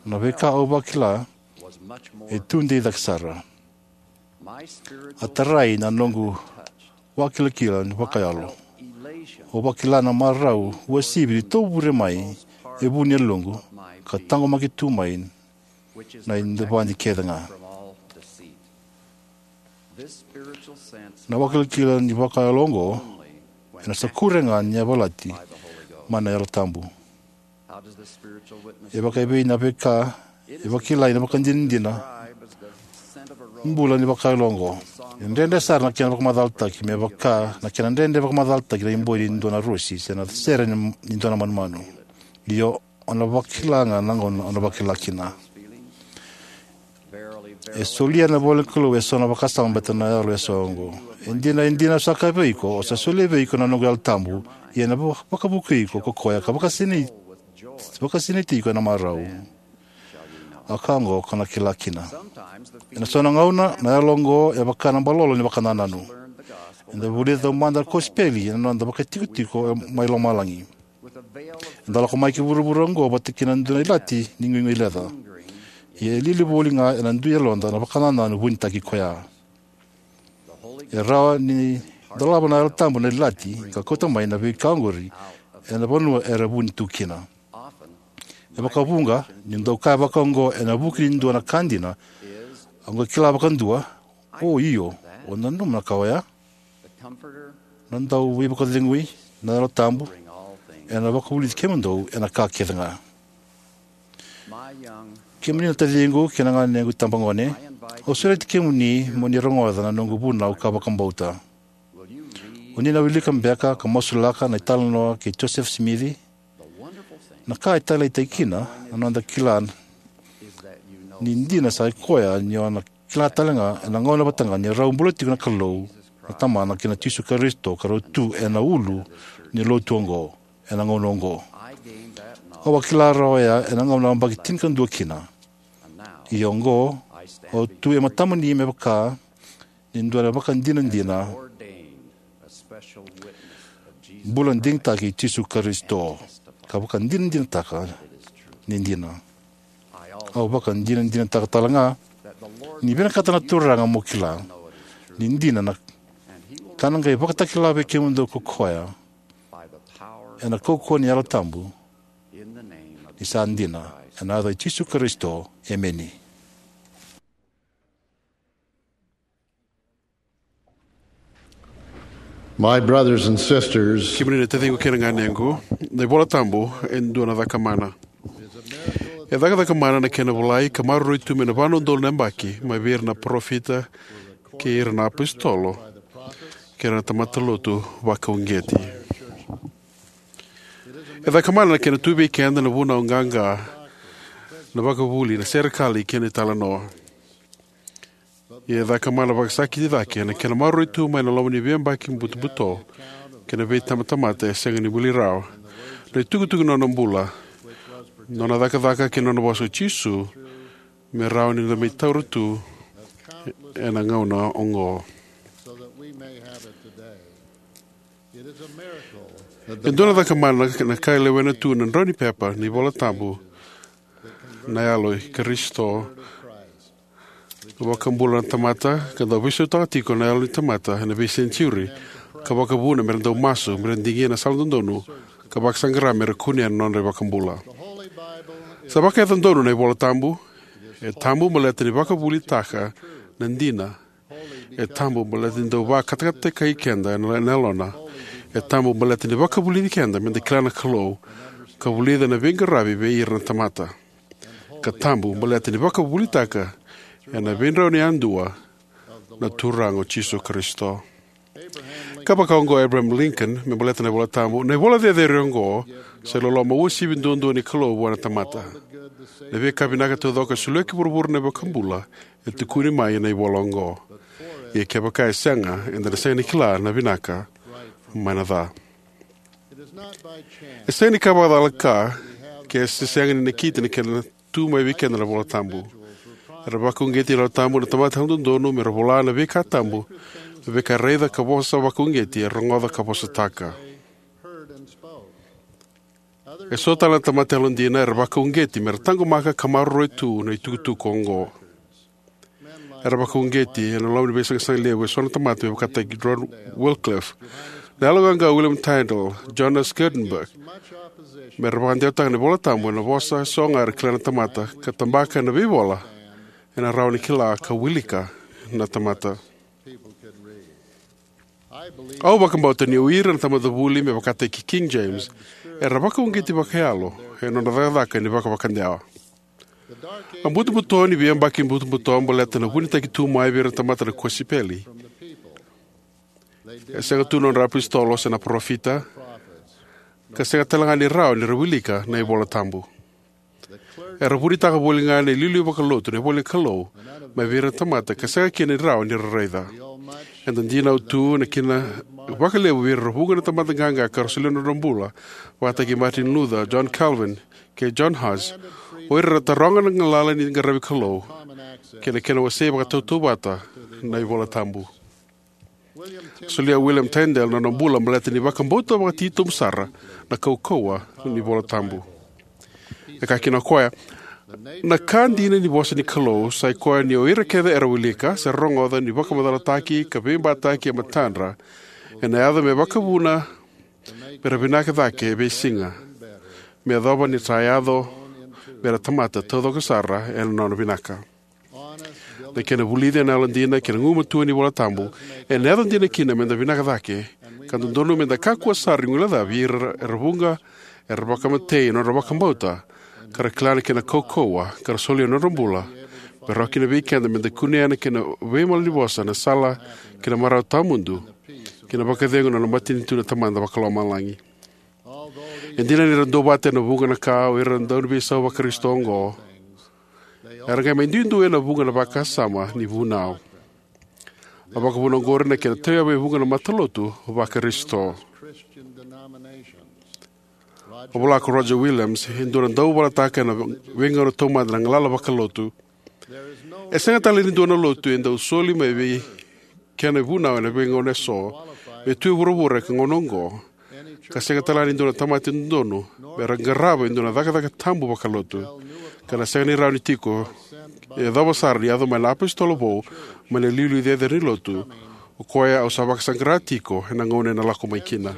Na veika au vakila e tu dei cake sara. A tarai na noqu vakilakila ni vakayalo. Au vakila na marau uasivi ni tovure mai e vu ni yaloqu, ka taqomaki tu mai na idavadi kece ga. Na vakilakila ni vakayalo oqo ena sa kure ga ni yavalati mai na Yalo Tabu. E vakaevei na veika e vakilai na vakadinadina bula ni vakayalo oqo? E dredre sara na kena vakamacalataki me vaka na kena dredre vakamacalataki na iboi ni dua na rosi se na sere ni, ni dua na manumanu. Io, o na vakila ga na gauna o na vakila kina. E solia na ivola ni Kalou eso na vakasama baleta na yalo eso oqo. E dina, e dina, au sa kaya vei iko, au sa solia vei iko na noqu Yalo Tabu, ia ena va-, vakavukui iko ko koya ka vakasinaiti, vakasinaiti iko ena marau. A ka oqo ko na kila kina. Ena so na gauna, na yalo oqo e vaka na balolo ni vakanananu. Eda vulica taumada na kosipeli ena noda vakaitikotiko mai lomalagi. Eda lako mai ki vuravura oqo vata kina dua na ilati ni guiguileca. Ia e lili voli ga ena dui yaloda na vakanananu vunitaki koya. E rawa ni dolava na Yalo Tabu na ilati ka kauta mai na veika oqori ena vanua era vuni tu kina. E vakavuqa, ni dau kaya vaka oqo ena vuku ni dua na ka dina, au qai kila vakadua, o io, au nanuma na ka oya. Na dau veivakacegui, na Yalo Tabu, ena vakavulici kemudou ena ka kece ga. Kemuni na taciqu kei na ganequ tabagone, au sureti kemuni mo ni rogoca na noqu vunau ka vakabauta. O ni na wilika beka ka masulaka na italanoa kei Josefa Simici? Na ka e taleitaki kina na noda kila ni dina sa i koya ni o na kila tale ga ena gauna vata ga ni rau bula tiko na Kalou na Tamana kei na Jisu Karisito ka rau tu ena ulu ni lotu oqo ena gauna oqo. Au a kila rawa oya ena gauna au yabaki tinikadua kina. Ia oqo, au tu e matamuni me vaka ni dua na vakadinadina bula digitaki i Jisu Karisito, ka vakadinadinataka ni dina. Au vakadinadinataka tale ga ni vinakata na Turaga mo kila ni dina na ka na qai vakatakila vei kemudou ko koya ena kaukauwa ni Yalo Tabu, ni sa dina, ena yaca i Jisu Karisito. Emeni. My brothers and sisters, kemuni na taciqu kei na ganequ, na iVola Tabu e dua na caka mana. E cakacaka mana na kena volai ka maroroi tu mai na va na udolu na yabaki mai vei ira na parofita kei ira na apositolo kei ira na tamata lotu vakauqeti. E caka mana na kena tu vei keda na vunau qaqa, na vakavuli, na serekali kei na italanoa. Ia e caka mana vakasakiti cake na kena maroroi tu mai na loma ni veiyabaki butobuto kei na veitabatamata e sega ni buli rawa, na itukutuku ni nona bula, nona cakacaka kei na nona vosa o Jisu me rawa ni da mai taura tu ena gauna oqo. E dua na caka mana na ka e lewena tu na drau ni pepa ni iVola Tabu, na Yalo i Karisito. Vakabula na tamata ka dau veisautaka tiko na yalo ni tamata ena veisenitiuri, ka vakavuna mera dau masu, mera digia na sala dodonu, ka vakasaqara mera kunea na nodra iVakabula. Sa vakayaco donu na iVola Tabu. E tabu baleta ni vakavuvulitaka na dina. E tabu baleta ni dau vakatakatataki keda na yalona. E tabu baleta ni vakavulici keda meda kila na Kalou, ka vulica na veiqaravi vei ira na tamata. Ka tabu baleta ni vakavuvulitaka ena veidrau ni yadua na Turaga o Jisu Karisito. Ka vakaoqo Abraham Lincoln me baleta na iVola Tabu: Na ivola cecere oqo sa iloloma uasivi duadua ni Kalou vua na tamata. Na veika vinaka taucoko e solia ki vuravura na iVakabula e tukuni mai ena ivola oqo. Ia kevaka e sega, eda na sega ni kila na vinaka mai na ca. E sega ni ka vakacalaka ke se sega ni nakiti na kena tu mai vei keda na iVola Tabu. Era vakauqeti na iVola Tabu na tamata yalododonu mera vola na veika tabu, na veika e raica ka vosa vakauqeti, e rogoca ka vosataka. E so tale na tamata yalodina era vakauqeti mera taqomaka ka maroroi tu na itukutuku oqo. Era vakauqeti ena loma ni veisaqasaqa levu e so na tamata me vakataki John Wycliffe, na yaloqaqa William Tyndale, Jonas Gutenberg, mera vakadewataka na iVola Tabu ena vosa e so ga era kila na tamata, ka tabaka ena veivola ena rawa ni kila ka wilika na tamata. Au vakabauta ni o ira na tamata vuli me vakataki King James era vakauqeti vakayalo ena nodra cakacaka ni vakavakadewa. A butobuto ni veiyabaki butobuto baleta na vunitaki tu mai vei ira na tamata na kosipeli. E sega tu na nodra apositolo se na parofita, ka sega tale ga ni rawa ni ra wilika na iVola Tabu. Era vunitaka voli ga na iliuliu vakalotu na ivola ni Kalou mai vei ira na tamata ka sega kina ni rawa ni ra raica. Eda dinau tu na kina vakalevu vei ira na vuqa na tamata qaqa ka ra solia na nodra bula, vakataki Martin Luther, John Calvin, kei John Hus, o ira era taroga na galala ni qaravi Kalou kei na kena wasei vakatautauvata na iVola Tabu. Solia William Tyndale na nona bula baleta ni vakabauta vakatitobu sara na kaukauwa ni iVola Tabu. E kaya kina o koya: Na ka dina ni vosa ni Kalou sai koya ni o ira kece era wilika se ra rogoca ni vakamacalataki ka veibataki e matadra, ena yaco me vakavuna mera vinaka cake e veisiga, me yacova ni sa yaco mera tamata taucoko sara ena nona vinaka. Na kena vulici ena yalodina kei na gugumatua ni iVola Tabu ena yaco dina kina meda vinaka cake, ka dodonu meda kakua sara ni guilecavi ira era vuqa era vakamatei ena nodra vakabauta, ka ra kila na kena kaukauwa, ka ra solia na nodra bula me rawa kina vei keda meda kunea na kena veimalanivosa, na sala ki na marau tawamudu, kei na vakacegu na nona matanitu na Tamada Vakalomalagi. E dina ni ra duavata ena vuqa na ka o ira na dauveisau Vakarisito oqo, era qai mai duidui ena vuqa na vakasama ni vunau. A vakavuna oqori na kena tauyavu e vuqa na matalotu Vakarisito. A vola ko Roger Williams, e dua na dauvalataka ena veigauna taumada na galala vakalotu: E sega tale ni dua na lotu e dau soli mai vei kena ivunau ena veigauna eso me tu e vuravura ena gauna oqo, ka sega tale ga ni dua na tamata e dodonu mera qarava e dua na cakacaka tabu vakalotu, ka na sega ni rawa ni tiko, e yacova sara ni yaco mai na iapositolo vou mai na iliuliu cecere ni Lotu, o koya au sa vakasaqara tiko ena gauna ena lako mai kina.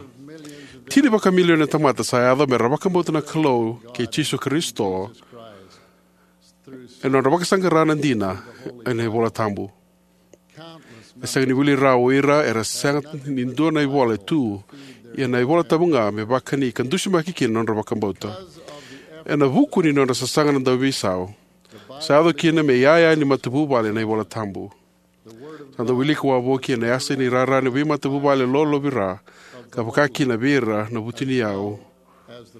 Tini vakamilioni na tamata sa yaco mera vakabauta na Kalou kei Jisu Karisito ena nodra vakasaqara na dina ena iVola Tabu. E sega ni wili rawa o ira era sega ni dua na ivola e tu, ia na iVola Tabu ga me vakani ka dusimaki kina na nodra vakabauta. Ena vuku ni nodra sasaga na dauveisau, sa yaco kina me iyaya ni matavuvale na iVola Tabu. Sa dau wiliki wavoki ena yasa ni rara ni veimatavuvale lolovira, ka vaka kina vei ira na vutuniyau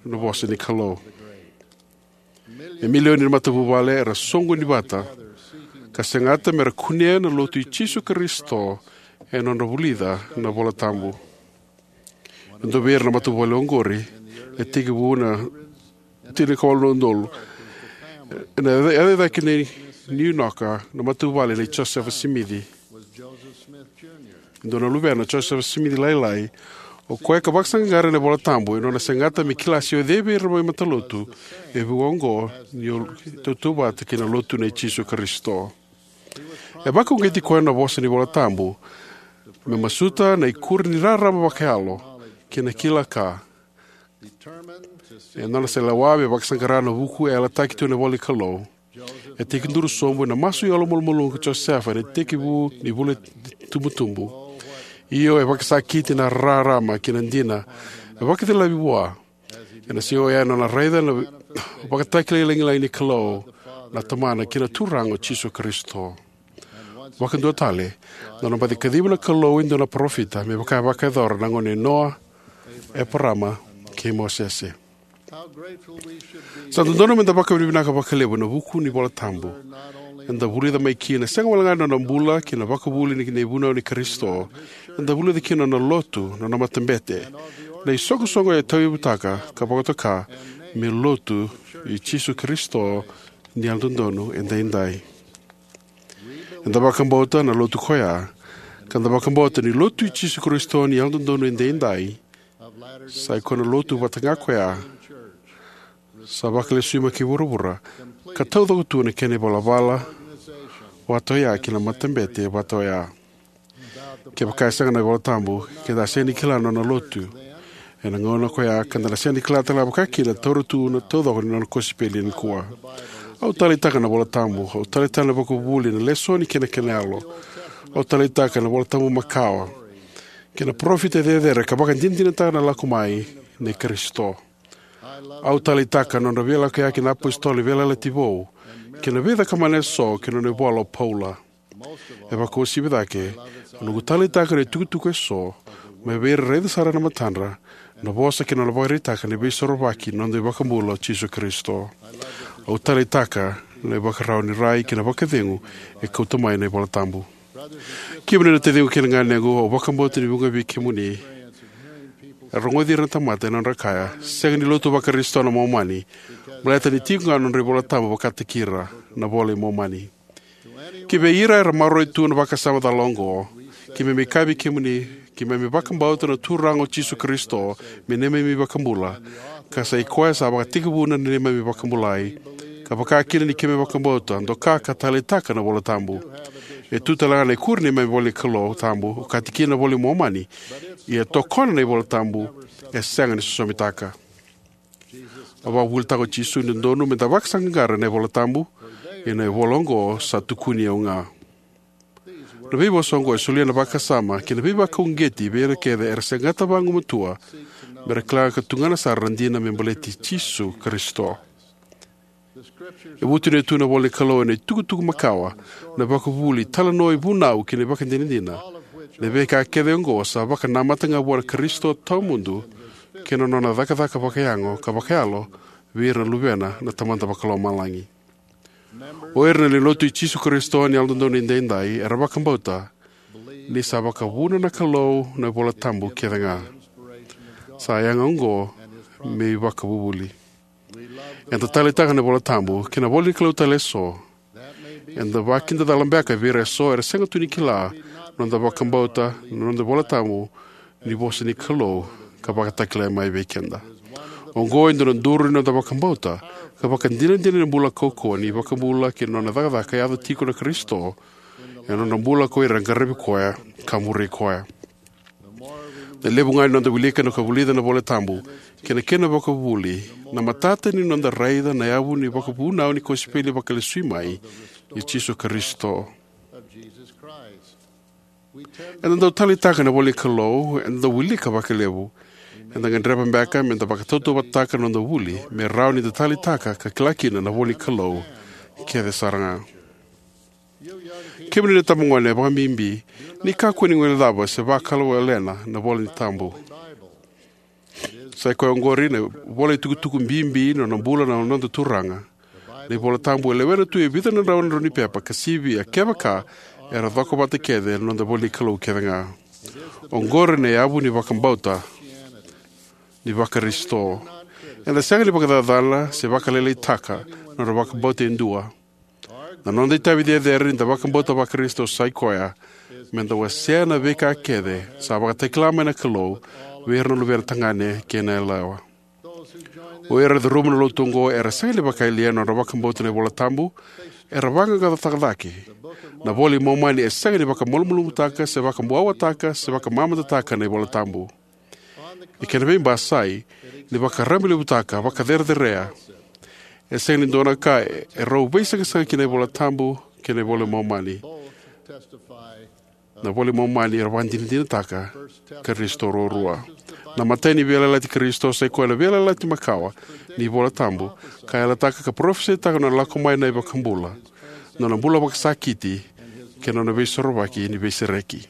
na vosa ni Kalou. E milioni na matavuvale era soqoni vata ka segata mera kunea na Lotu i Jisu Karisito ena nodra vulica na iVola Tabu. E dua vei ira na matavuvale oqori, e tekivu na tinikawalu na udolu, ena yaca, yaca cake nei New York na matavuvale nei Josefa Simici. E dua na luvena, Josefa Simici Lailai, o koya ka vakasaqara ena iVola Tabu ena nona segata me kila se o cei vei ira na veimatalotu e vuqa oqo ni o tautauvata kei na Lotu nei Jisu Karisito. E vakauqeti koya na vosa ni Vola Tabu me masuta na ikuri ni rarama vakayalo kei na kila ka. E nona selewa me vakasaqara na vuku e yalataki tu ena ivola ni Kalou. E tekiduru sobu ena masu yalomalumalumu ko Josefa ena itekivu ni vula ni tubutubu. Io, e vakasakiti na rarama kei na dina e vakacilavi vua. Ena siga oya ena nona raica na vakatakilai lagilagi ni Kalou na Tamana kei na Turaga o Jisu Karisito. Vakadua tale, na nona baci kaciva na Kalou e dua na parofita me vaka e vakayacora na gauna i Noa, Eparama, kei Mosese. Sa dodonu meda vakavinavinaka vakalevu ena vuku ni Vola Tabu. Eda vulica mai kina sega walega na nona bula kei na vakavuvuli ni, ni vunau ni Karisito. Eda vulica kina na nona lotu, na nona matabete, na isoqosoqo e tauyavutaka ka vakatoka me lotu i Jisu Karisito ni Yalododonu Edaidai. Eda vakabauta na lotu koya, ka da vakabauta ni lotu i Jisu Karisito ni Yalododonu Edaidai sa i koya na lotu vata ga koya sa vakalesui mai ki vuravura, ka taucoko tu na kena ivalavala vata oya kei na matabete vata oya. Kevaka e sega na iVola Tabu, keda a sega ni kila na nona lotu ena gauna koya, ka da na sega ni kila tale ga vakakina na taura tu na taucoko ni nona kosipeli nikua. Au taleitaka na iVola Tabu, au taleitaka na vakavuvuli, na lesoni kei na kena yalo. Au taleitaka na iVola Tabu makawa kei na parofita cecere ka vakadinadinataka na lako mai nei Karisito. Au taleitaka na nodra veilakoyaki na iapositolo ni Veiyalayalati Vou kei na veicakamana eso kei na nona ivola o Paula. E vakauasivi cake, au noqu taleitaka na itukutuku eso mai vei ira e raica sara ena matadra na vosa kei na nona vakaraitaka na Veisorovaki ni noda iVakabula o Jisu Karisito. Au taleitaka na ivakarau ni rai kei na vakacegu e kauta mai na iVola Tabu. Kemuni na taciqu kei na ganequ, au vakabauta ni vuqa vei kemuni e rogoci ira na tamata ena nodra kaya, "Sega ni lotu vaKarisito na Momani, baleta ni tiko ga na nodra iVola Tabu vakataki ira, na iVola i Momani." Ki vei ira era maroroya tu na vakasama cala oqo, keimami kaya vei kemuni, keimami vakabauta na Turaga o Jisu Karisito me neimami iVakabula, ka sa i koya sa vakatekivuna na neimami vakabulai, ka vaka kina ni keimami vakabauta, doka ka taleitaka na iVola Tabu. E tu tale ga na ikuri ni neimami ivola ni Kalou Tabu, okati kina na iVola i Momani, ia tokona na iVola Tabu, e sega ni sosomitaka. A vakavuvulitaka o Jisu ni dodonu meda vakasaqaqara ena iVola Tabu, ia na ivola oqo sa tukuni au ga. Na veivosa oqo e solia na vakasama kei na veivakauqeti vei ira kece era segata vagumatua mera kila ka tugana sara na dina me baleti Jisu Karisito. E vutuniyaka tu na ivola ni Kalou ena itukutuku makawa, na ivakavuvuli, italanoa, ivunau kei na ivakadinadina. Na veika kece oqo sa vakanamata ga vua na Karisito tawamudu kei na nona cakacaka vakayago ka vakayalo vei ira na luvena na Tamada Vakalomalagi. O ira na lewe ni Lotu i Jisu Karisito ni Yalododonu Edaidai era vakabauta ni sa vakavuna na Kalou na iVola Tabu kece ga. Sa yaga oqo me ivakavuvuli. Eda taleitaka na iVola Tabu kei na ivola ni Kalou tale eso. Eda vakidacala beka vei ira eso era sega tu ni kila na noda vakabauta na noda iVola Tabu ni vosa ni Kalou ka vakatakilai mai vei keda. Oqo e dua na duru ni noda vakabauta ka vakadinadina ni bula kaukauwa ni iVakabula kei na nona cakacaka e yaco tiko na Karisito ena nona bula ko ira era qaravi koya ka muri koya. Na levu ga ni noda wilika ka vulica na iVola Tabu kei na kena ivakavuvuli, na matata ni noda raica na yavu ni vakavunau ni kosipeli vakalesui mai i Jisu Karisito. Eda dau taleitaka na ivola ni Kalou, eda dau wilika vakalevu. Eda gadreva beka meda vakatautauvatataka na noda vuli me rawa nida taleitaka ka kila kina na ivola ni Kalou kece sara ga. Kemuni na itabagone, vakabibi ni kakua ni guilecava se vakawalena na iVola Tabu. Sa i koya oqori na ivola itukutuku bibi ni nona bula na noda Turaga. Na iVola Tabu e lewena tu e vica na drau na drau ni pepa ka sivia, kevaka era cokovata kece na noda ivola ni Kalou kece ga. Oqori na yavu ni vakabauta ni vaKarisito. Eda sega ni vakacacana se vakalailaitaka na nodra vakabauta e dua. Na noda itavi cecere nida vakabauta vaKarisito sa i koya meda wasea na veika kece sa vakatakila mai na Kalou vei ira na luvena tagane kei na yalewa. O ira era curuma na lotu oqo era sega ni vakayalia na nodra vakabauta na iVola Tabu, Era vaqaqacotaka cake. Na iVola i Momani e sega ni vakamalumalumutaka, se vakabuawataka, se vakamamadataka na iVola Tabu. E kena veibasai, ni vakarabailevutaka, vakacerecerea. E sega ni dua na ka e rau veisaqasaqa kina na iVola Tabu kei na iVola i Momani. Na iVola i Momani era vakadinadinataka Karisito ruarua. Na imatai ni veiyalayalati i Karisito sai koya na veiyalayalati makawa ni iVola Tabu, ka yalataka ka parofisaitaka na nona lako mai na iVakabula, na nona bula vakasakiti, kei na nona veisorovaki ni veisereki.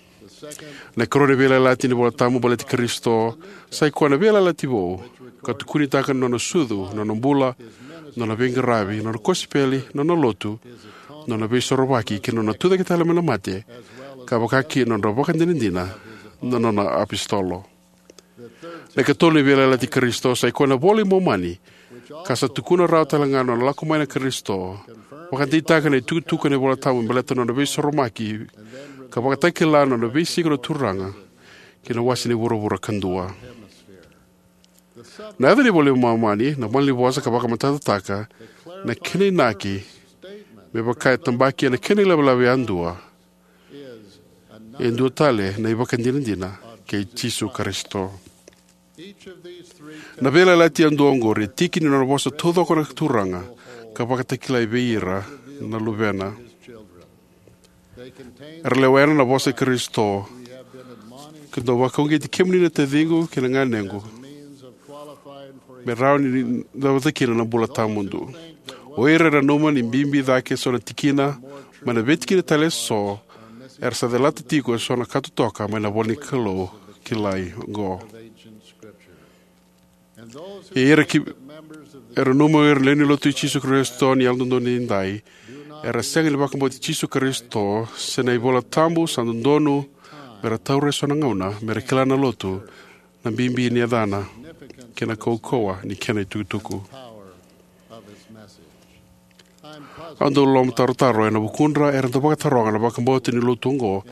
Na ikarua ni veiyalayalati ni iVola Tabu baleti Karisito sai koya na veiyalayalati vou, ka tukunitaka na nona sucu, na nona bula, na nona veiqaravi, na nona kosipeli, na nona lotu, na nona veisorovaki, kei na nona tucake tale mai na mate, ka vaka kina na nodra vakadinadina na nona iapositolo. Na ikatolu ni veiyalayalati i Karisito sai koya na iVola i Momani, ka sa tukuna rawa tale ga na nona lako mai na Karisito, vakadeitaka na itukutuku ena iVola Tabu me baleta na nona veisorovaki, ka vakatakila na nona veisiko na Turaga ki na wase ni vuravura kadua. Na yaca ni iVola i Momani na malanivosa ka vakamatatataka na kena inaki, me vaka e tabaki ena kena ilavelave yadua, e dua tale na ivakadinadina kei Jisu Karisito. Na veiyalayalati yadua oqori e tiki ni nona vosa taucoko na Turaga, ka vakatakilai vei ira na luvena. Era lewena na vosa i Karisito: Keitou vakauqeti kemuni na taciqu kei na ganequ, me rawa ni cavuta kina na bula tawamudu. O ira era nanuma ni bibi cake eso na tikina mai na veitikina tale eso, era sa calata tiko eso na ka totoka mai na ivola ni Kalou kilai oqo. Ia ira ki, era nanuma o ira na lewe ni Lotu i Jisu Karisito ni Yalododonu Edaidai, era sega ni vakabauti Jisu Karisito se na iVola Tabu, sa dodonu me ra taura eso na gauna me ra kila na Lotu na bibi ni yacana, kei na kaukauwa ni kena itukutuku. Au dau lomatarotaro ena vukudra era dau vakataroga na vakabauta ni Lotu oqo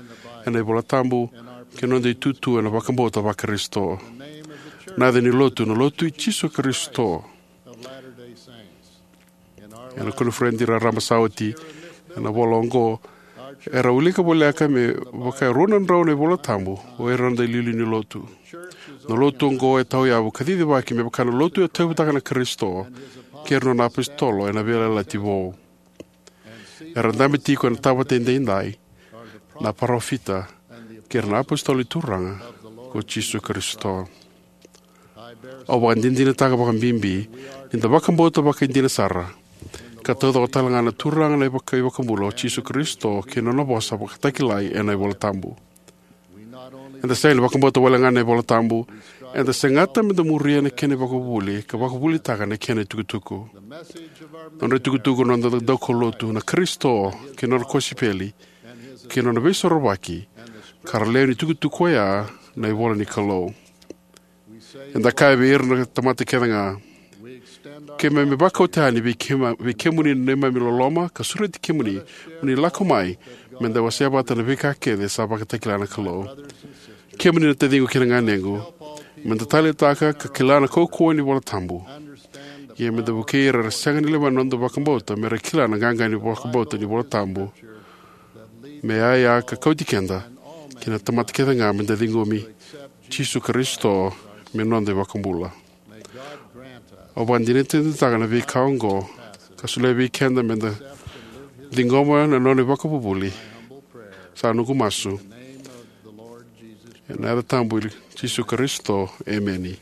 ena iVola Tabu, kei na noda itutu ena vakabauta vaKarisito. Na yaca ni Lotu, na Lotu i Jisu Karisito. Ena koniferedi raraba sa oti, ena ivola oqo, era wilika voleka me vaka e rua na drau na iVola Tabu o ira na noda iliuliu ni Lotu. Na Lotu oqo e tawayavu ka cicivaki me vaka na Lotu e tauyavutaka na Karisito kei ira na nona iapositolo ena Veiyalayalati Vou. Era dabe tiko ena Tavata Edaidai na parofita kei ira na iapositolo ni Turaga ko Jisu Karisito. Au vakadinadinataka vakabibi ni da vakabauta vakaidina sara, ka taucoko tale ga na Turaga na iVaka, iVakabula o Jisu Karisito kei na nona vosa vakatakilai ena iVola Tabu. Eda sega ni vakabauta wale ga na iVola Tabu, eda segata me da muria na kena ivakavuvuli ka vakavuvulitaka na kena itukutuku. Na nodra itukutuku na noda daukaulotu, na Karisito kei na nona kosipeli, kei na nona veisorovaki, ka ra lewe ni tukutuku oya na ivola ni Kalou. Eda kaya vei ira na tamata kece ga: Keimami vakauta yani vei, keima, vei kemuni na neimami loloma, ka sureti kemuni mo ni lako mai me da wasea vata na veika kece sa vakatakila na Kalou. Kemuni na taciqu kei na ganequ, me da taleitaka ka kila na kaukauwa ni iVola Tabu. Ia me da vukei ira era sega ni lewena na noda vakabauta me ra kila na qaqa ni vakabauta ni iVola Tabu, me yaya ka kauti keda kei na tamata kece ga me da ciqomi Jisu Karisito me noda iVakabula. Au vakadinadinataka na veika oqo, ka solia vei keda me da ciqoma na nona ivakavuvuli. Sa noqu masu ena yaca tabu i Jisu Karisito, emeni.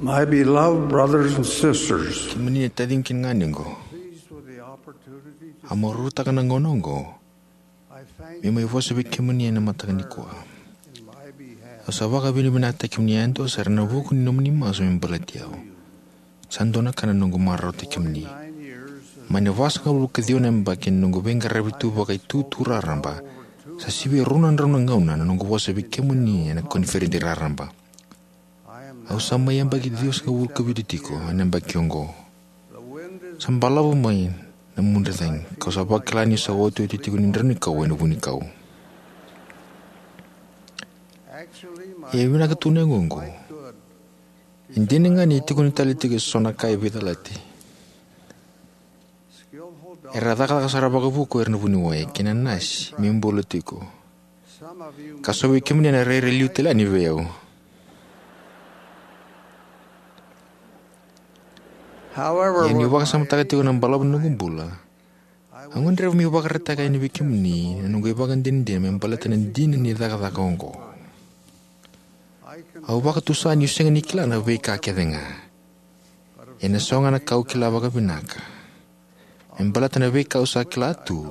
My beloved brothers and sisters, kemuni na taciqu kei na ganequ, pleased with the opportunity to a marautaka na gauna oqo I thank me mai vosa vei kemuni ena mataka nikua. In my behalf. Au sa vakavinavinakataki kemuni yadua sara ena vuku ni nomuni masu me baleti au. Sa dua na ka na noqu marautaki kemuni. Nine years of mai na vasagavulu ka ciwa na yabaki na noqu veiqaravi tu vakaitutu raraba, sa sivia rua na drau na gauna na noqu vosa vei kemuni ena koniferedi raraba. Au sa mai yabaki ciwasagavulu ka vitu tiko ena yabaki oqo. Sa balavu mai na mudre cagi, kau sa vakila niu sa otioti tiko ni drau ni kau ena vunikau. E vinaka tu na yagoqu. E dina ga ni tiko ni tale tiko eso na ka e veicalati. Era cakacaka sara vakavuku era na vuniwai kei na nasi me bula tiko. Ka so vei kemuni ena rairai liu tale yani vei au. Ia niu vakasamataka tiko na balavu ni noqu bula, au gadreva meu vakaraitaka yani vei kemuni na noqu ivakadinadina me baleta na dina ni cakacaka oqo. Au vakatusa niu sega ni kila na veika kece ga. Ia na so ga na ka au kila vakavinaka. Me baleta na veika au sa kila tu,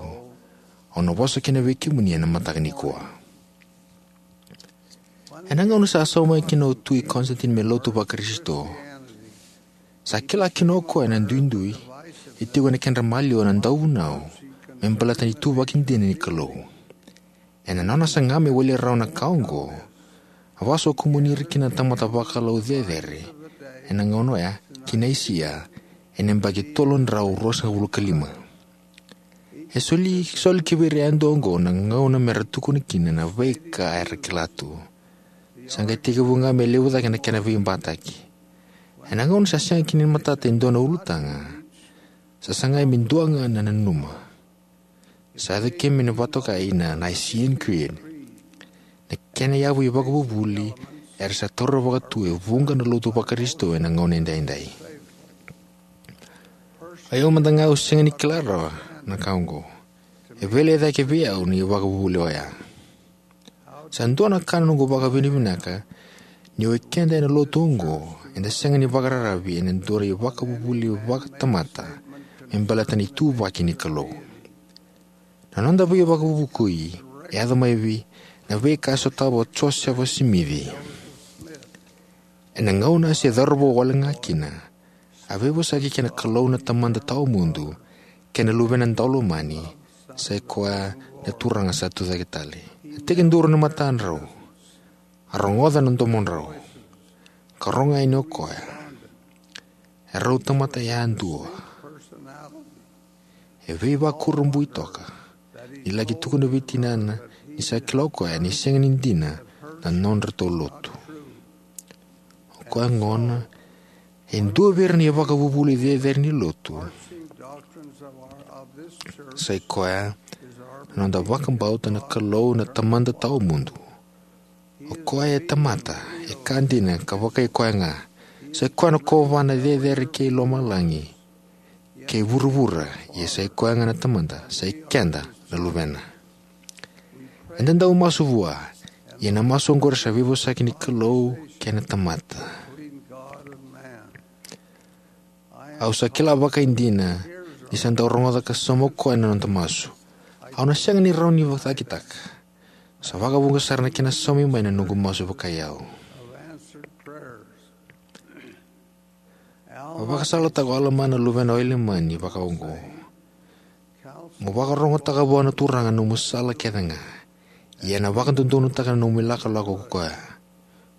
au na vosa kina vei kemuni ena mataka nikua. Ena gauna sa sauma mai kina o Tui Constantine me lotu vaKarisito, sa kila kina o koya na duidui e tiko ena kedra maliwa na dauvunau me baleta na ituvaki dina ni Kalou. Ena nona saga me wali rawa na ka oqo, a vakasokumuni ira kina na tamata vakalou cecere ena gauna oya ki Naisia ena yabaki tolu na drau ruasagavulu ka lima. E soli, soli ki vei ira yadua oqo na gauna me ra tukuna kina na veika era kila tu. Sa qai tekivu ga me levu cake na kena veibataki. Ena gauna sa sega kina ni matata e dua na ulutaga, sa sagai me dua ga na nanuma. Sa yaco kina me na vakatokai na Nicene Creed. Na kena yavu ivakavuvuli era sa taura vakatu e vuqa na lotu vaKarisito ena gauna edaidai. Au mada ga au sega ni kila rawa na ka oqo. E veilecayaki vei au na ivakavuvuli oya. Sa dua na ka na noqu vakavinavinaka ni o keda ena lotu oqo eda sega ni vakararavi ena dua na ivakavuvuli vakatamata me baleta na ituvaki ni Kalou. Na noda veivakavuvukui e yaco mai vei na veika e sotava o Josefa Simici. Ena gauna se cauravou wale ga kina, a veivosaki kei na Kalou na Tamada tawamudu kei na Luvena Daulomani, sa i koya na Turaga sa tucake tale. A tekiduru na matadrau, a rogoca na domodrau, ka rogo yani o koya. E rau tamata yadua. E veivakurabui toka ni laki tukuna vei tinana ni sa kila o koya ni sega ni dina na nodratou lotu. O koya gona e dua vei ira na ivakavuvuli cecere ni lotu. Sa i koya na noda vakabauta na Kalou na Tamada tawamudu. O koya e tamata, e ka dina ka vakai koya ga. Sa i koya na kovana cecere kei lomalagi kei vuravura, ia sa i koya ga na Tamada, sa i keda na luvena. Eda dau masu vua, ia na masu oqori sa veivosaki ni Kalou kei na tamata. Au sa kila vakaidina ni sa dau rogoca ka sauma o koya na noda masu. Au na sega ni rawa ni vakacakitaka. Sa vakavuqa sara na kena saumi mai na noqu masu vakai au. Au vakasalataka o Alama na luvena o Ilamani vakaoqo: Mo vakarogotaka vua na Turaga nomu sala kece ga, ia ena vakadodonutaka na nomu ilakolako ko koya.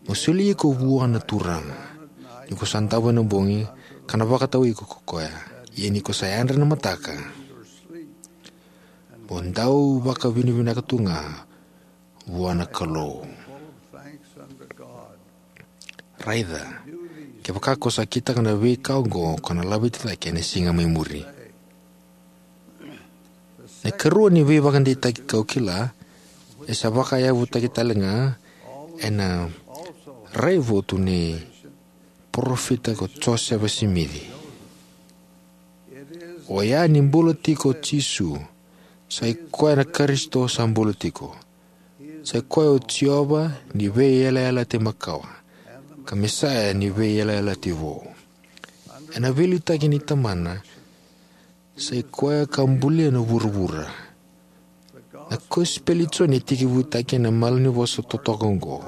Mo soli iko vua na Turaga ni ko sa davo ena bogi, ka na vakatau iko ko koya. Ia ni ko sa yadra ena mataka, mo dau vakavinavinaka tu ga vua na Kalou. Raica, kevaka ko sa kitaka na veika oqo, ko na laveti cake ena siga mai muri. Na ikarua ni veivakadeitaki kau kila, e sa vakayavutaki tale ga ena raivotu ni parofita ko Josefa Simici. Oya ni bula tiko o Jisu, sa i koya na Karisito sa bula tiko. Sa i koya o Jiova ni veiyalayalati makawa, ka Mesaia ni veiyalayalati vou. Ena veiliutaki ni Tamana, sai koya ka bulia na vuravura. Na kosipeli i Joni e tekivutaki ena malanivosa totoka oqo: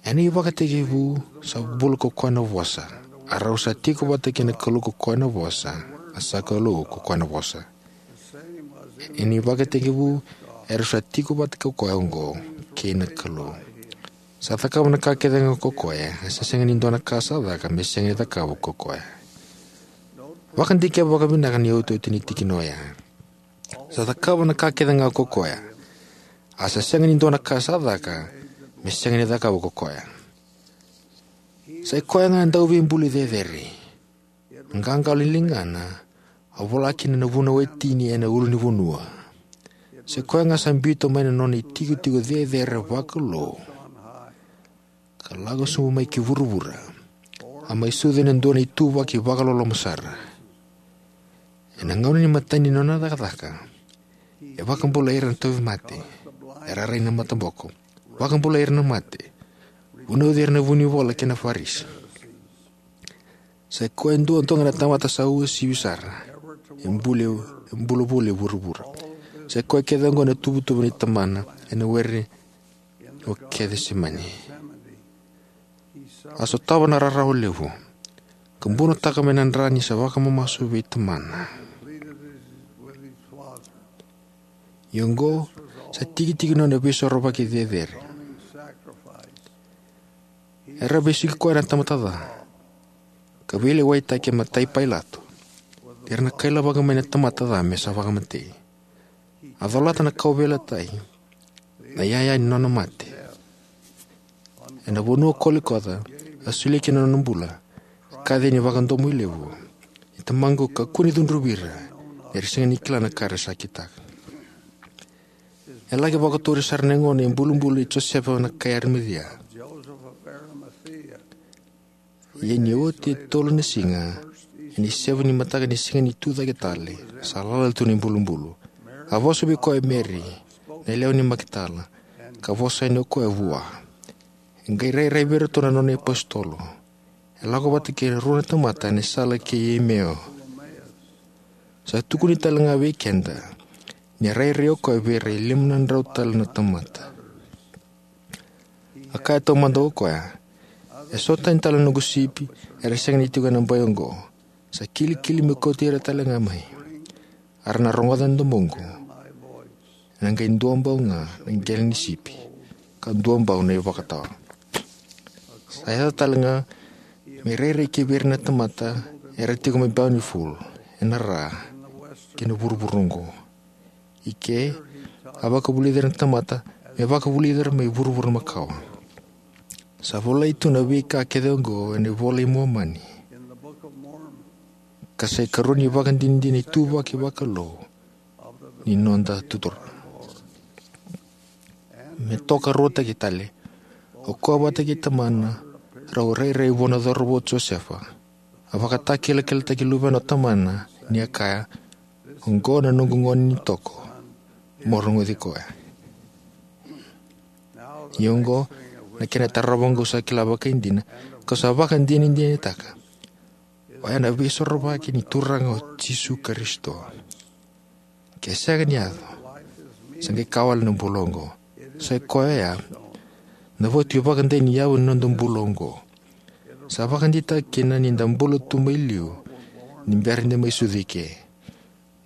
Ena ivakatekivu sa bula ko koya na Vosa, a rau sa tiko vata kei na Kalou ko koya na Vosa, a sa Kalou ko koya na Vosa. Ena ivakatekivu e rau sa tiko vata ko koya oqo, kei na Kalou. Sa cakava na ka kece ga ko koya, a sa sega ni dua na ka sa caka me sega ni cakava ko koya. Vakadikeva vakavinaka na iotioti ni tikina oya. Sa cakava na ka kece ga ko koya, a sa sega ni dua na ka sa caka me sega ni cakava ko koya. Sai koya ga e Dauveibuli cecere. Na qaqalo ni ligana a vola kina na vunau e tini ena ulunivanua. Sai koya ga sa biuta mai na nona itikotiko cecere vakalou, ka lako sobu mai ki vuravura, a mai sucu ena dua na ituvaki vakaloloma sara. Ena gauna ni imatai ni nona cakacaka, e vakabulai ira na tauvimate, era rai na mataboko, vakabulai ira na mate, vunauci ira na vunivola kei na Farisi. Sai koya e dua toka na tamata sa uasivi sara e bula, e bula voli e vuravura. Sai koya kece oqo na tuvatuva ni Tamana ena were o Kecisemani. A sotava na rarawa levu, ka bunotaka mai na dra ni sa vakamamasu vei Tamana. Ia oqo sa tikitiki nona veisorovaki cecere. Era vesuki koya na tamata ca, ka veilewaitaki e matai Pailato, ni ra na kailavaka mai na tamata ca me sa vakamatei. A colata na kauveilatai, na iyaya ni nona mate. Ena vanua o Kolikoca, a solia kina na nona bula, ka kaci ena vakadomoilevu: Ni Tamaqu, kakua ni cudruvi ira, ni ra sega ni kila na ka era sa kitaka. E laki vakaturi sara na yagona e bulubulu i Josefa na kai Arimacia. Ia ni oti e tolu na siga, ena isevu ni mataka ni Siga ni Tucake Tale, sa lala tu na ibulubulu. A vosa vei koya o Meri, na yalewa ni Makitala, ka vosa yani o koya vua. E qai rairai vei iratou na nona iapositolo. E lako vata kei ira e rua na tamata ena sala ki Emeo. Sa tukuni tale ga vei keda ni a rairai o koya vei ira e lima na drau tale na tamata. A kaya taumada o koya: Eso tani tale na noqu sipi era sega ni tiko ena bai oqo. Sa kilikili meu kauti ira tale ga mai. A ra na rogoca na domoqu. Ena qai duabau ga na qele ni sipi, ka duabau na ivakatawa. Sa yaco tale ga me rairai ki vei ira na tamata era tiko mai Bountiful, ena ra, kei na vuravura oqo. I ke, a vakavulici ira na tamata me vakavulici ira mai vuravura makawa. Sa volai tu na veika kece oqo ena iVola i Momani, ka sa ikarua ni ivakadinadina ituvaki vakalou ni noda Turaga. Me tokaruataki tale, o koya vata kei tamana rau rairai vua na cauravou o Josefa. A vakatakilakilataki luvena o tamana, ni a kaya: Oqo na noqu gone ni toko, mo rogoci koya. Ia oqo na kena tarava, oqo sa kila vakaidina, kau sa vakadinadinataka, oya na veisorovaki ni Turaga o Jisu Karisito. Ke sega ni yaco, sa qai ka wale na bula oqo. Sai koya oya na votu ivakadei ni yavu ni noda bula oqo. Sa vakadeitaka kina ni da bula tu mai liu ni bera ni da mai sucu i ke.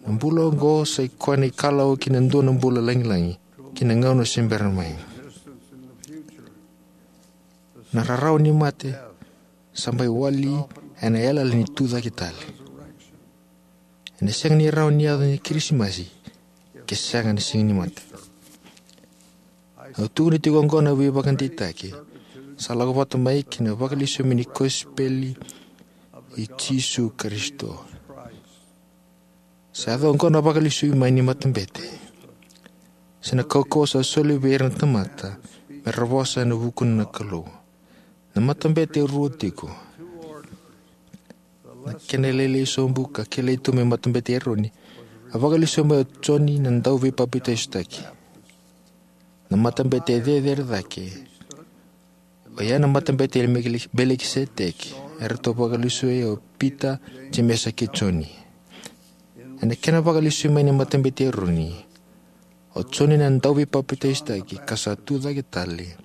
Na bula oqo sai koya na ikalawa ki na dua na bula lagilagi ki na gauna se bera mai. Na rarawa ni mate sa mai wali ena yalayala ni Tucake Tale. Ena sega ni rawa ni yaco na Kirisimasi ke sega na Siga ni Mate. Au tukuna tiko oqo na veivakadeitaki sa lako vata mai kei na vakalesui mai ni kosipeli i Jisu Karisito. Sa yaco oqo na vakalesui mai ni matabete, se na kaukauwa sa soli vei ira na tamata me ra vosa ena vukuna na Kalou. Na matabete e rua tiko. Na kena lailai sobu ka kilai tu me Matabete i Eroni, a vakalesui mai o Joni na Dauveipapitaisotaki. Na matabete e cecere cake, O ya na matabete i Mekili-, Melikiseteki, eratou vakalesui o Pita, Jemesa kei Joni. Ena kena vakalesui mai na matabete i Eroni, o Joni na dauveipapitaisotaki ka sa tucake tale,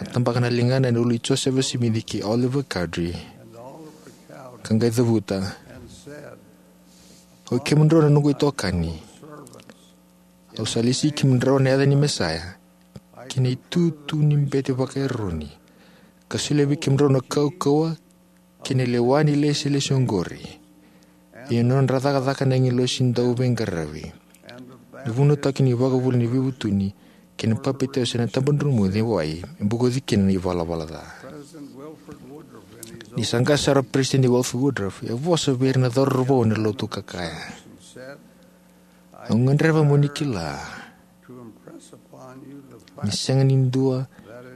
a tabaka na ligana ena ulu i Josefa Simici kei Oliver Cowdery, ka qai cavuta, "Oi kemudrau na noqu itokani, au sa lesi kemudrau ena yaca ni Mesaia, ki na itutu ni bete vaka-Eroni, ka solia vei kemudrau na kaukauwa kei na lewa ni ilesilesi oqori, io na nodra cakacaka na agilosi dauveiqaravi, na vunautaki ni ivakavuvuli ni veivutuni, kei na papitaiso ena tabadromu ni wai, me bokoci kina na ivalavala ca." Ni sa qase sara o Peresitedi Wilford Woodruff, e vosa vei ira na cauravou ena lotu ka kaya, "Au gadreva mo ni kila ni sega ni dua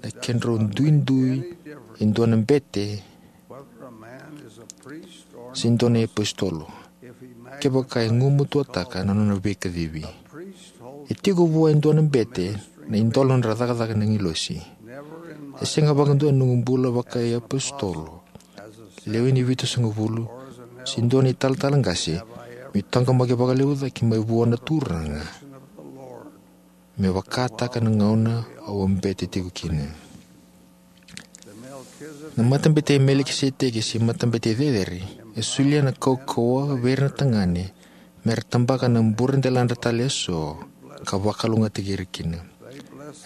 na kedrau duidui e dua na bete se dua na iapositolo, kevaka e gumatuataka na nona veikacivi. E tiko vua e dua na bete na idola nodra cakacaka na agilosi. E sega vakadua ena noqu bula vaka-iapositolo, lewe ni vitusagavulu, se dua na italatala qase, meu taqomaki vakalevu cake mai vua na Turaga me vakataka na gauna au a bete tiko kina." Na matabete i Melikiseteki se matabete cecere e solia na kaukauwa vei ira na tagane me ra tabaka na buradeladra tale eso ka vakalougatataki ira kina.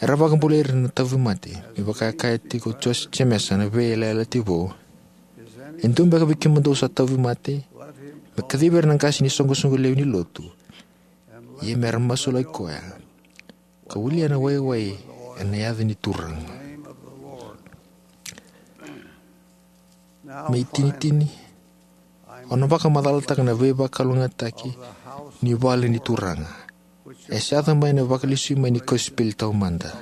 Era vakabulai ira na tauvimate, me vaka e kaya tiko o Jose-, Jemesa na veiyalayalati vou, "E dua beka vei kemudou sa tauvimate, me kacivi ira na qase ni soqosoqo lewe ni lotu, ia me ra masulaki koya, ka wili ena waiwai ena yaca ni Turaga." Me itinitini, au na vakamacalataka na veivakalougatataki ni vale ni Turaga e sa yaco mai ena vakalesui mai ni kosipeli taumada.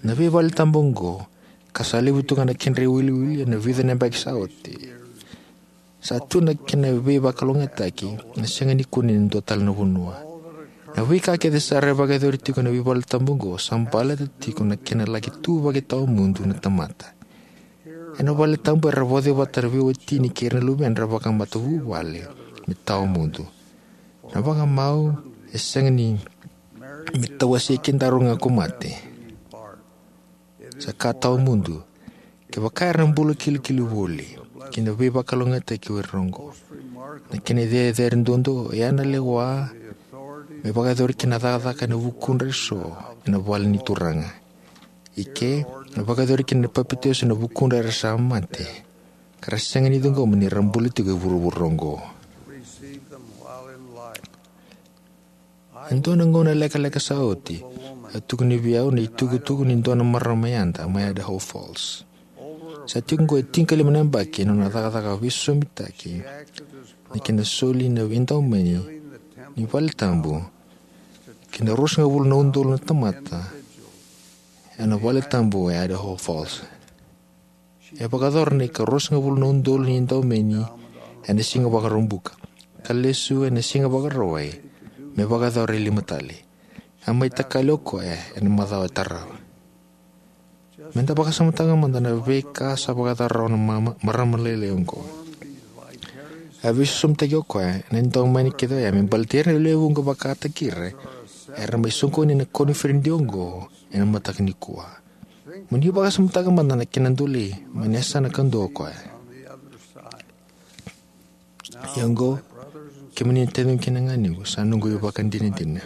Na veivale tabu oqo, ka sa levu tu ga na kedra iwiliwili ena vica na yabaki sa oti, sa tu na kena veivakalougatataki e sega ni kune ena dua tale na vanua. Na veika kece sara e vakayacori tiko ena veivale tabu oqo sa baleta tiko na kena laki tu vakatawamudu na tamata. Ena vale tabu era vauci vata na veiwatini kei ira na luvedra vakamatavuvale me tawamudu. Na vakamau e sega ni me tawasei kedaru ga ko mate. Sa ka tawamudu, kevaka era na bula kilikili voli, ki na veivakalougatataki o ira oqo. Na kena cecere duadua oya na lewa me vakayacori kina na cakacaka ena vukudra eso ena vale ni Turaga. I ke, na vakayacori kina na papitaiso ena vukudra era sa mate, ka ra sega ni ciqoma ni ra bula tiko e vuravura oqo. E dua na gauna lekaleka sa oti, a tukuni vei au na itukutuku ni dua na marama yada mai Idaho Falls. Sa tiko oqo e tinikalima na yabaki ena nona cakacaka veisosomitaki ni kena soli na veidaumeni ni vale tabu ki na ruasagavulu na udolu na tamata ena vale tabu e Idaho Falls. E vakayacora na ikaruasagavulu na udolu ni daumeni ena siga Vakaraubuka, ka lesu ena siga Vakarauwai me vakayacora e lima tale. A mai takali o koya ena macawa e tarava. Meda vakasamataka mada na veika sa vakayacora rawa na mama-, marama lailai oqo. A veisosomitaki o koya ena daumeni kece oya me baleti ira na lewe vuqa vakataki ira era mai soqoni ena koniferedi oqo ena mataka nikua. Mo ni vakasamataka mada na kena doli mai na yasana kadua o koya. Ia oqo, kemuni na taciqu kei na ganequ, sa noqu ivakadinadina.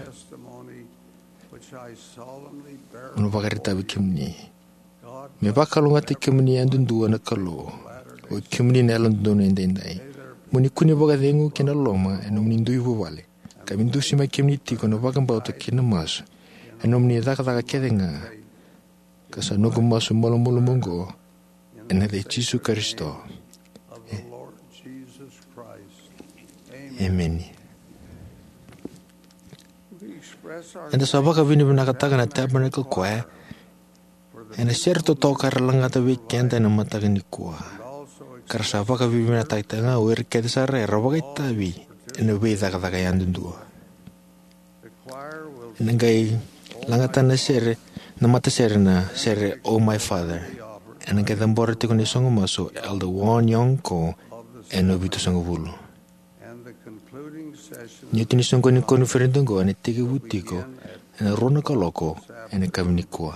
Au na vakaraitaka vei kemuni. Me vakalougatataki kemuni yadudua na Kalou, o kemuni na yalododonu edaidai. Mo ni kune vakacegu kei na loloma ena nomuni dui vuvale, ka me dusimaki kemuni tiko na vakabauta kei na masu ena nomuni cakacaka kece ga, ka sa noqu masu malumalumu oqo ena yaca i Jisu Karisito. E-, emeni. Eda sa vakavinavinakataka na Tabernacle Choir ena sere totoka era lagata vei keda ena mataka nikua, ka ra sa vakavinavinakataka ga o ira kece sara era vakaitavi ena veicakacaka yadudua. Ena qai lagata na sere Na matasere na sere Oh My Father. Ena qai cabora tiko na isogo masu o Elder Won Yong Ko ena vitusagavulu. Ni oti ni soqoni ni koniferedi oqo ena tekivu tiko ena rua na kaloko ena yakavi nikua.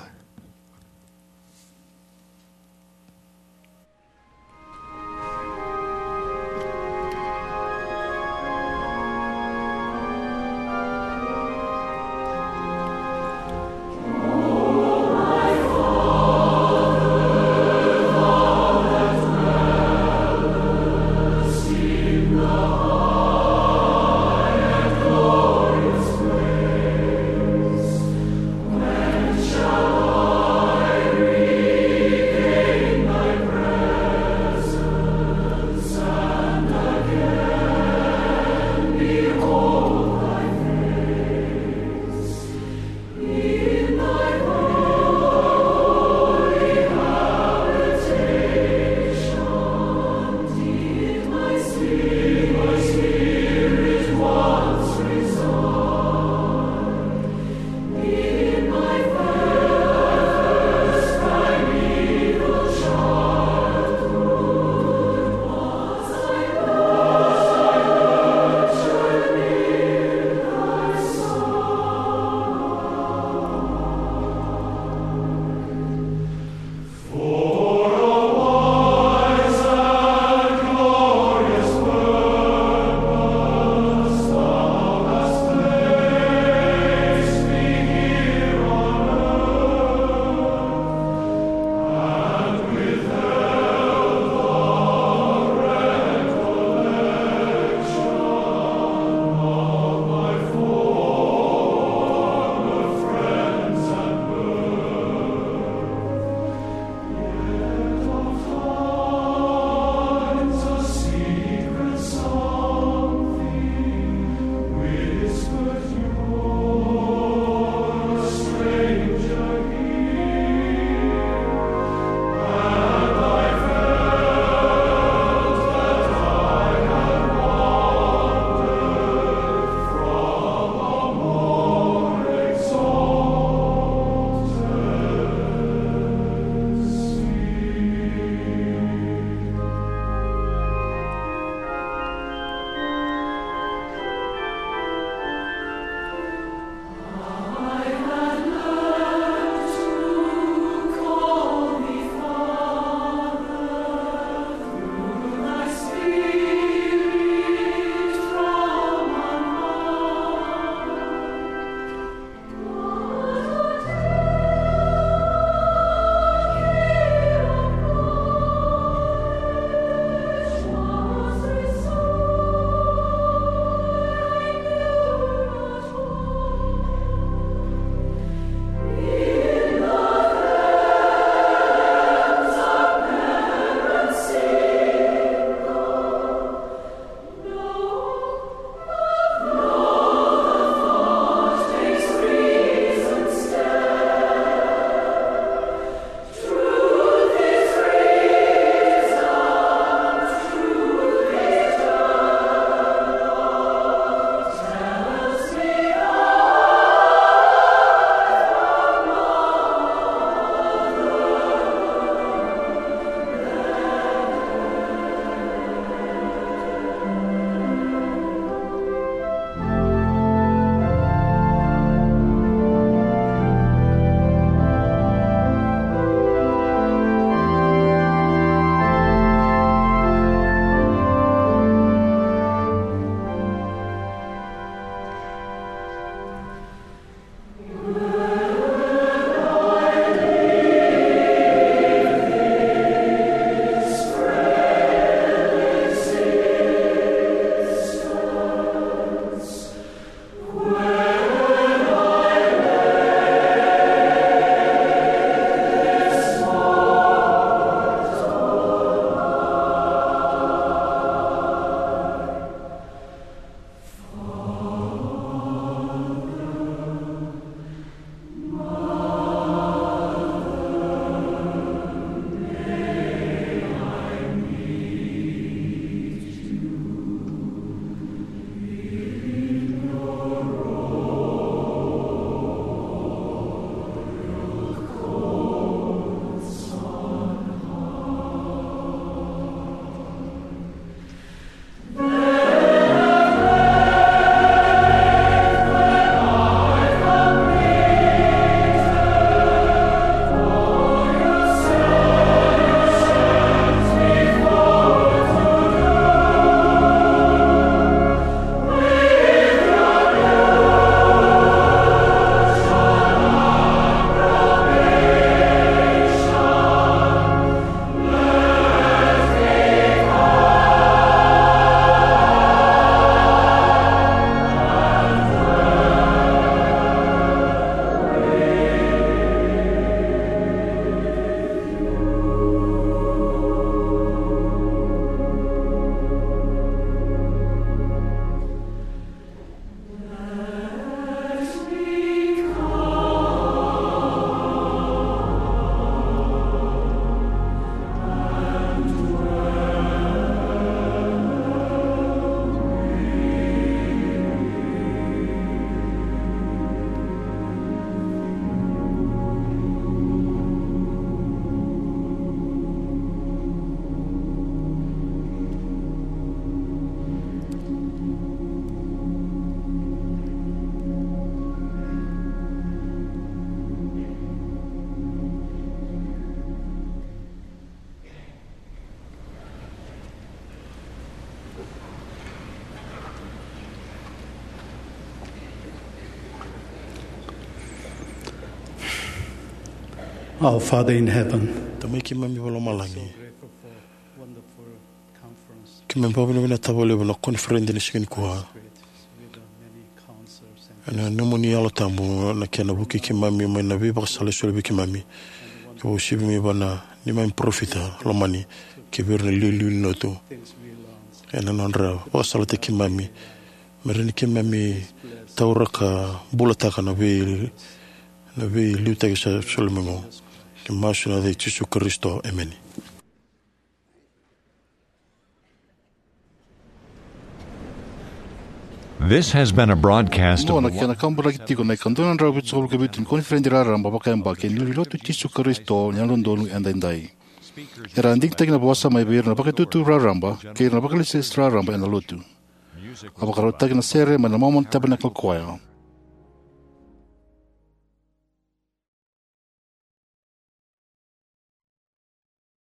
Our Father in heaven, Tamai keimami vakalomalagi, keimami vakavinavinaka vakalevu na koniferedi ni siga nikua. Ena nomuni Yalo Tabu na kena vukei keimami mai na veivakasala e soli vei keimami, ka uasivi mai vua na neimami parofita lomani kei vei ira na iliuliu ni lotu ena nodra vakasalataki keimami, me rawa ni keimami taura ka bulataka na vei na veiliutaki sa soli mai oqo. Keimami masu ena yaca i Jisu Karisito, emeni. This has been a broadcast of Oqo na kena kaburaki tiko na ika dua na drau vitusagavulu ka vitu ni koniferedi raraba vakayabaki ni Lotu i Jisu Karisito ni Yalododonu Edaidai. Era a digitaki na vosa mai vei ira na vakaitutu raraba kei ira na vakalesilesi raraba ena Lotu. A vakarautaki na sere mai na Mormon Tabernacle Choir.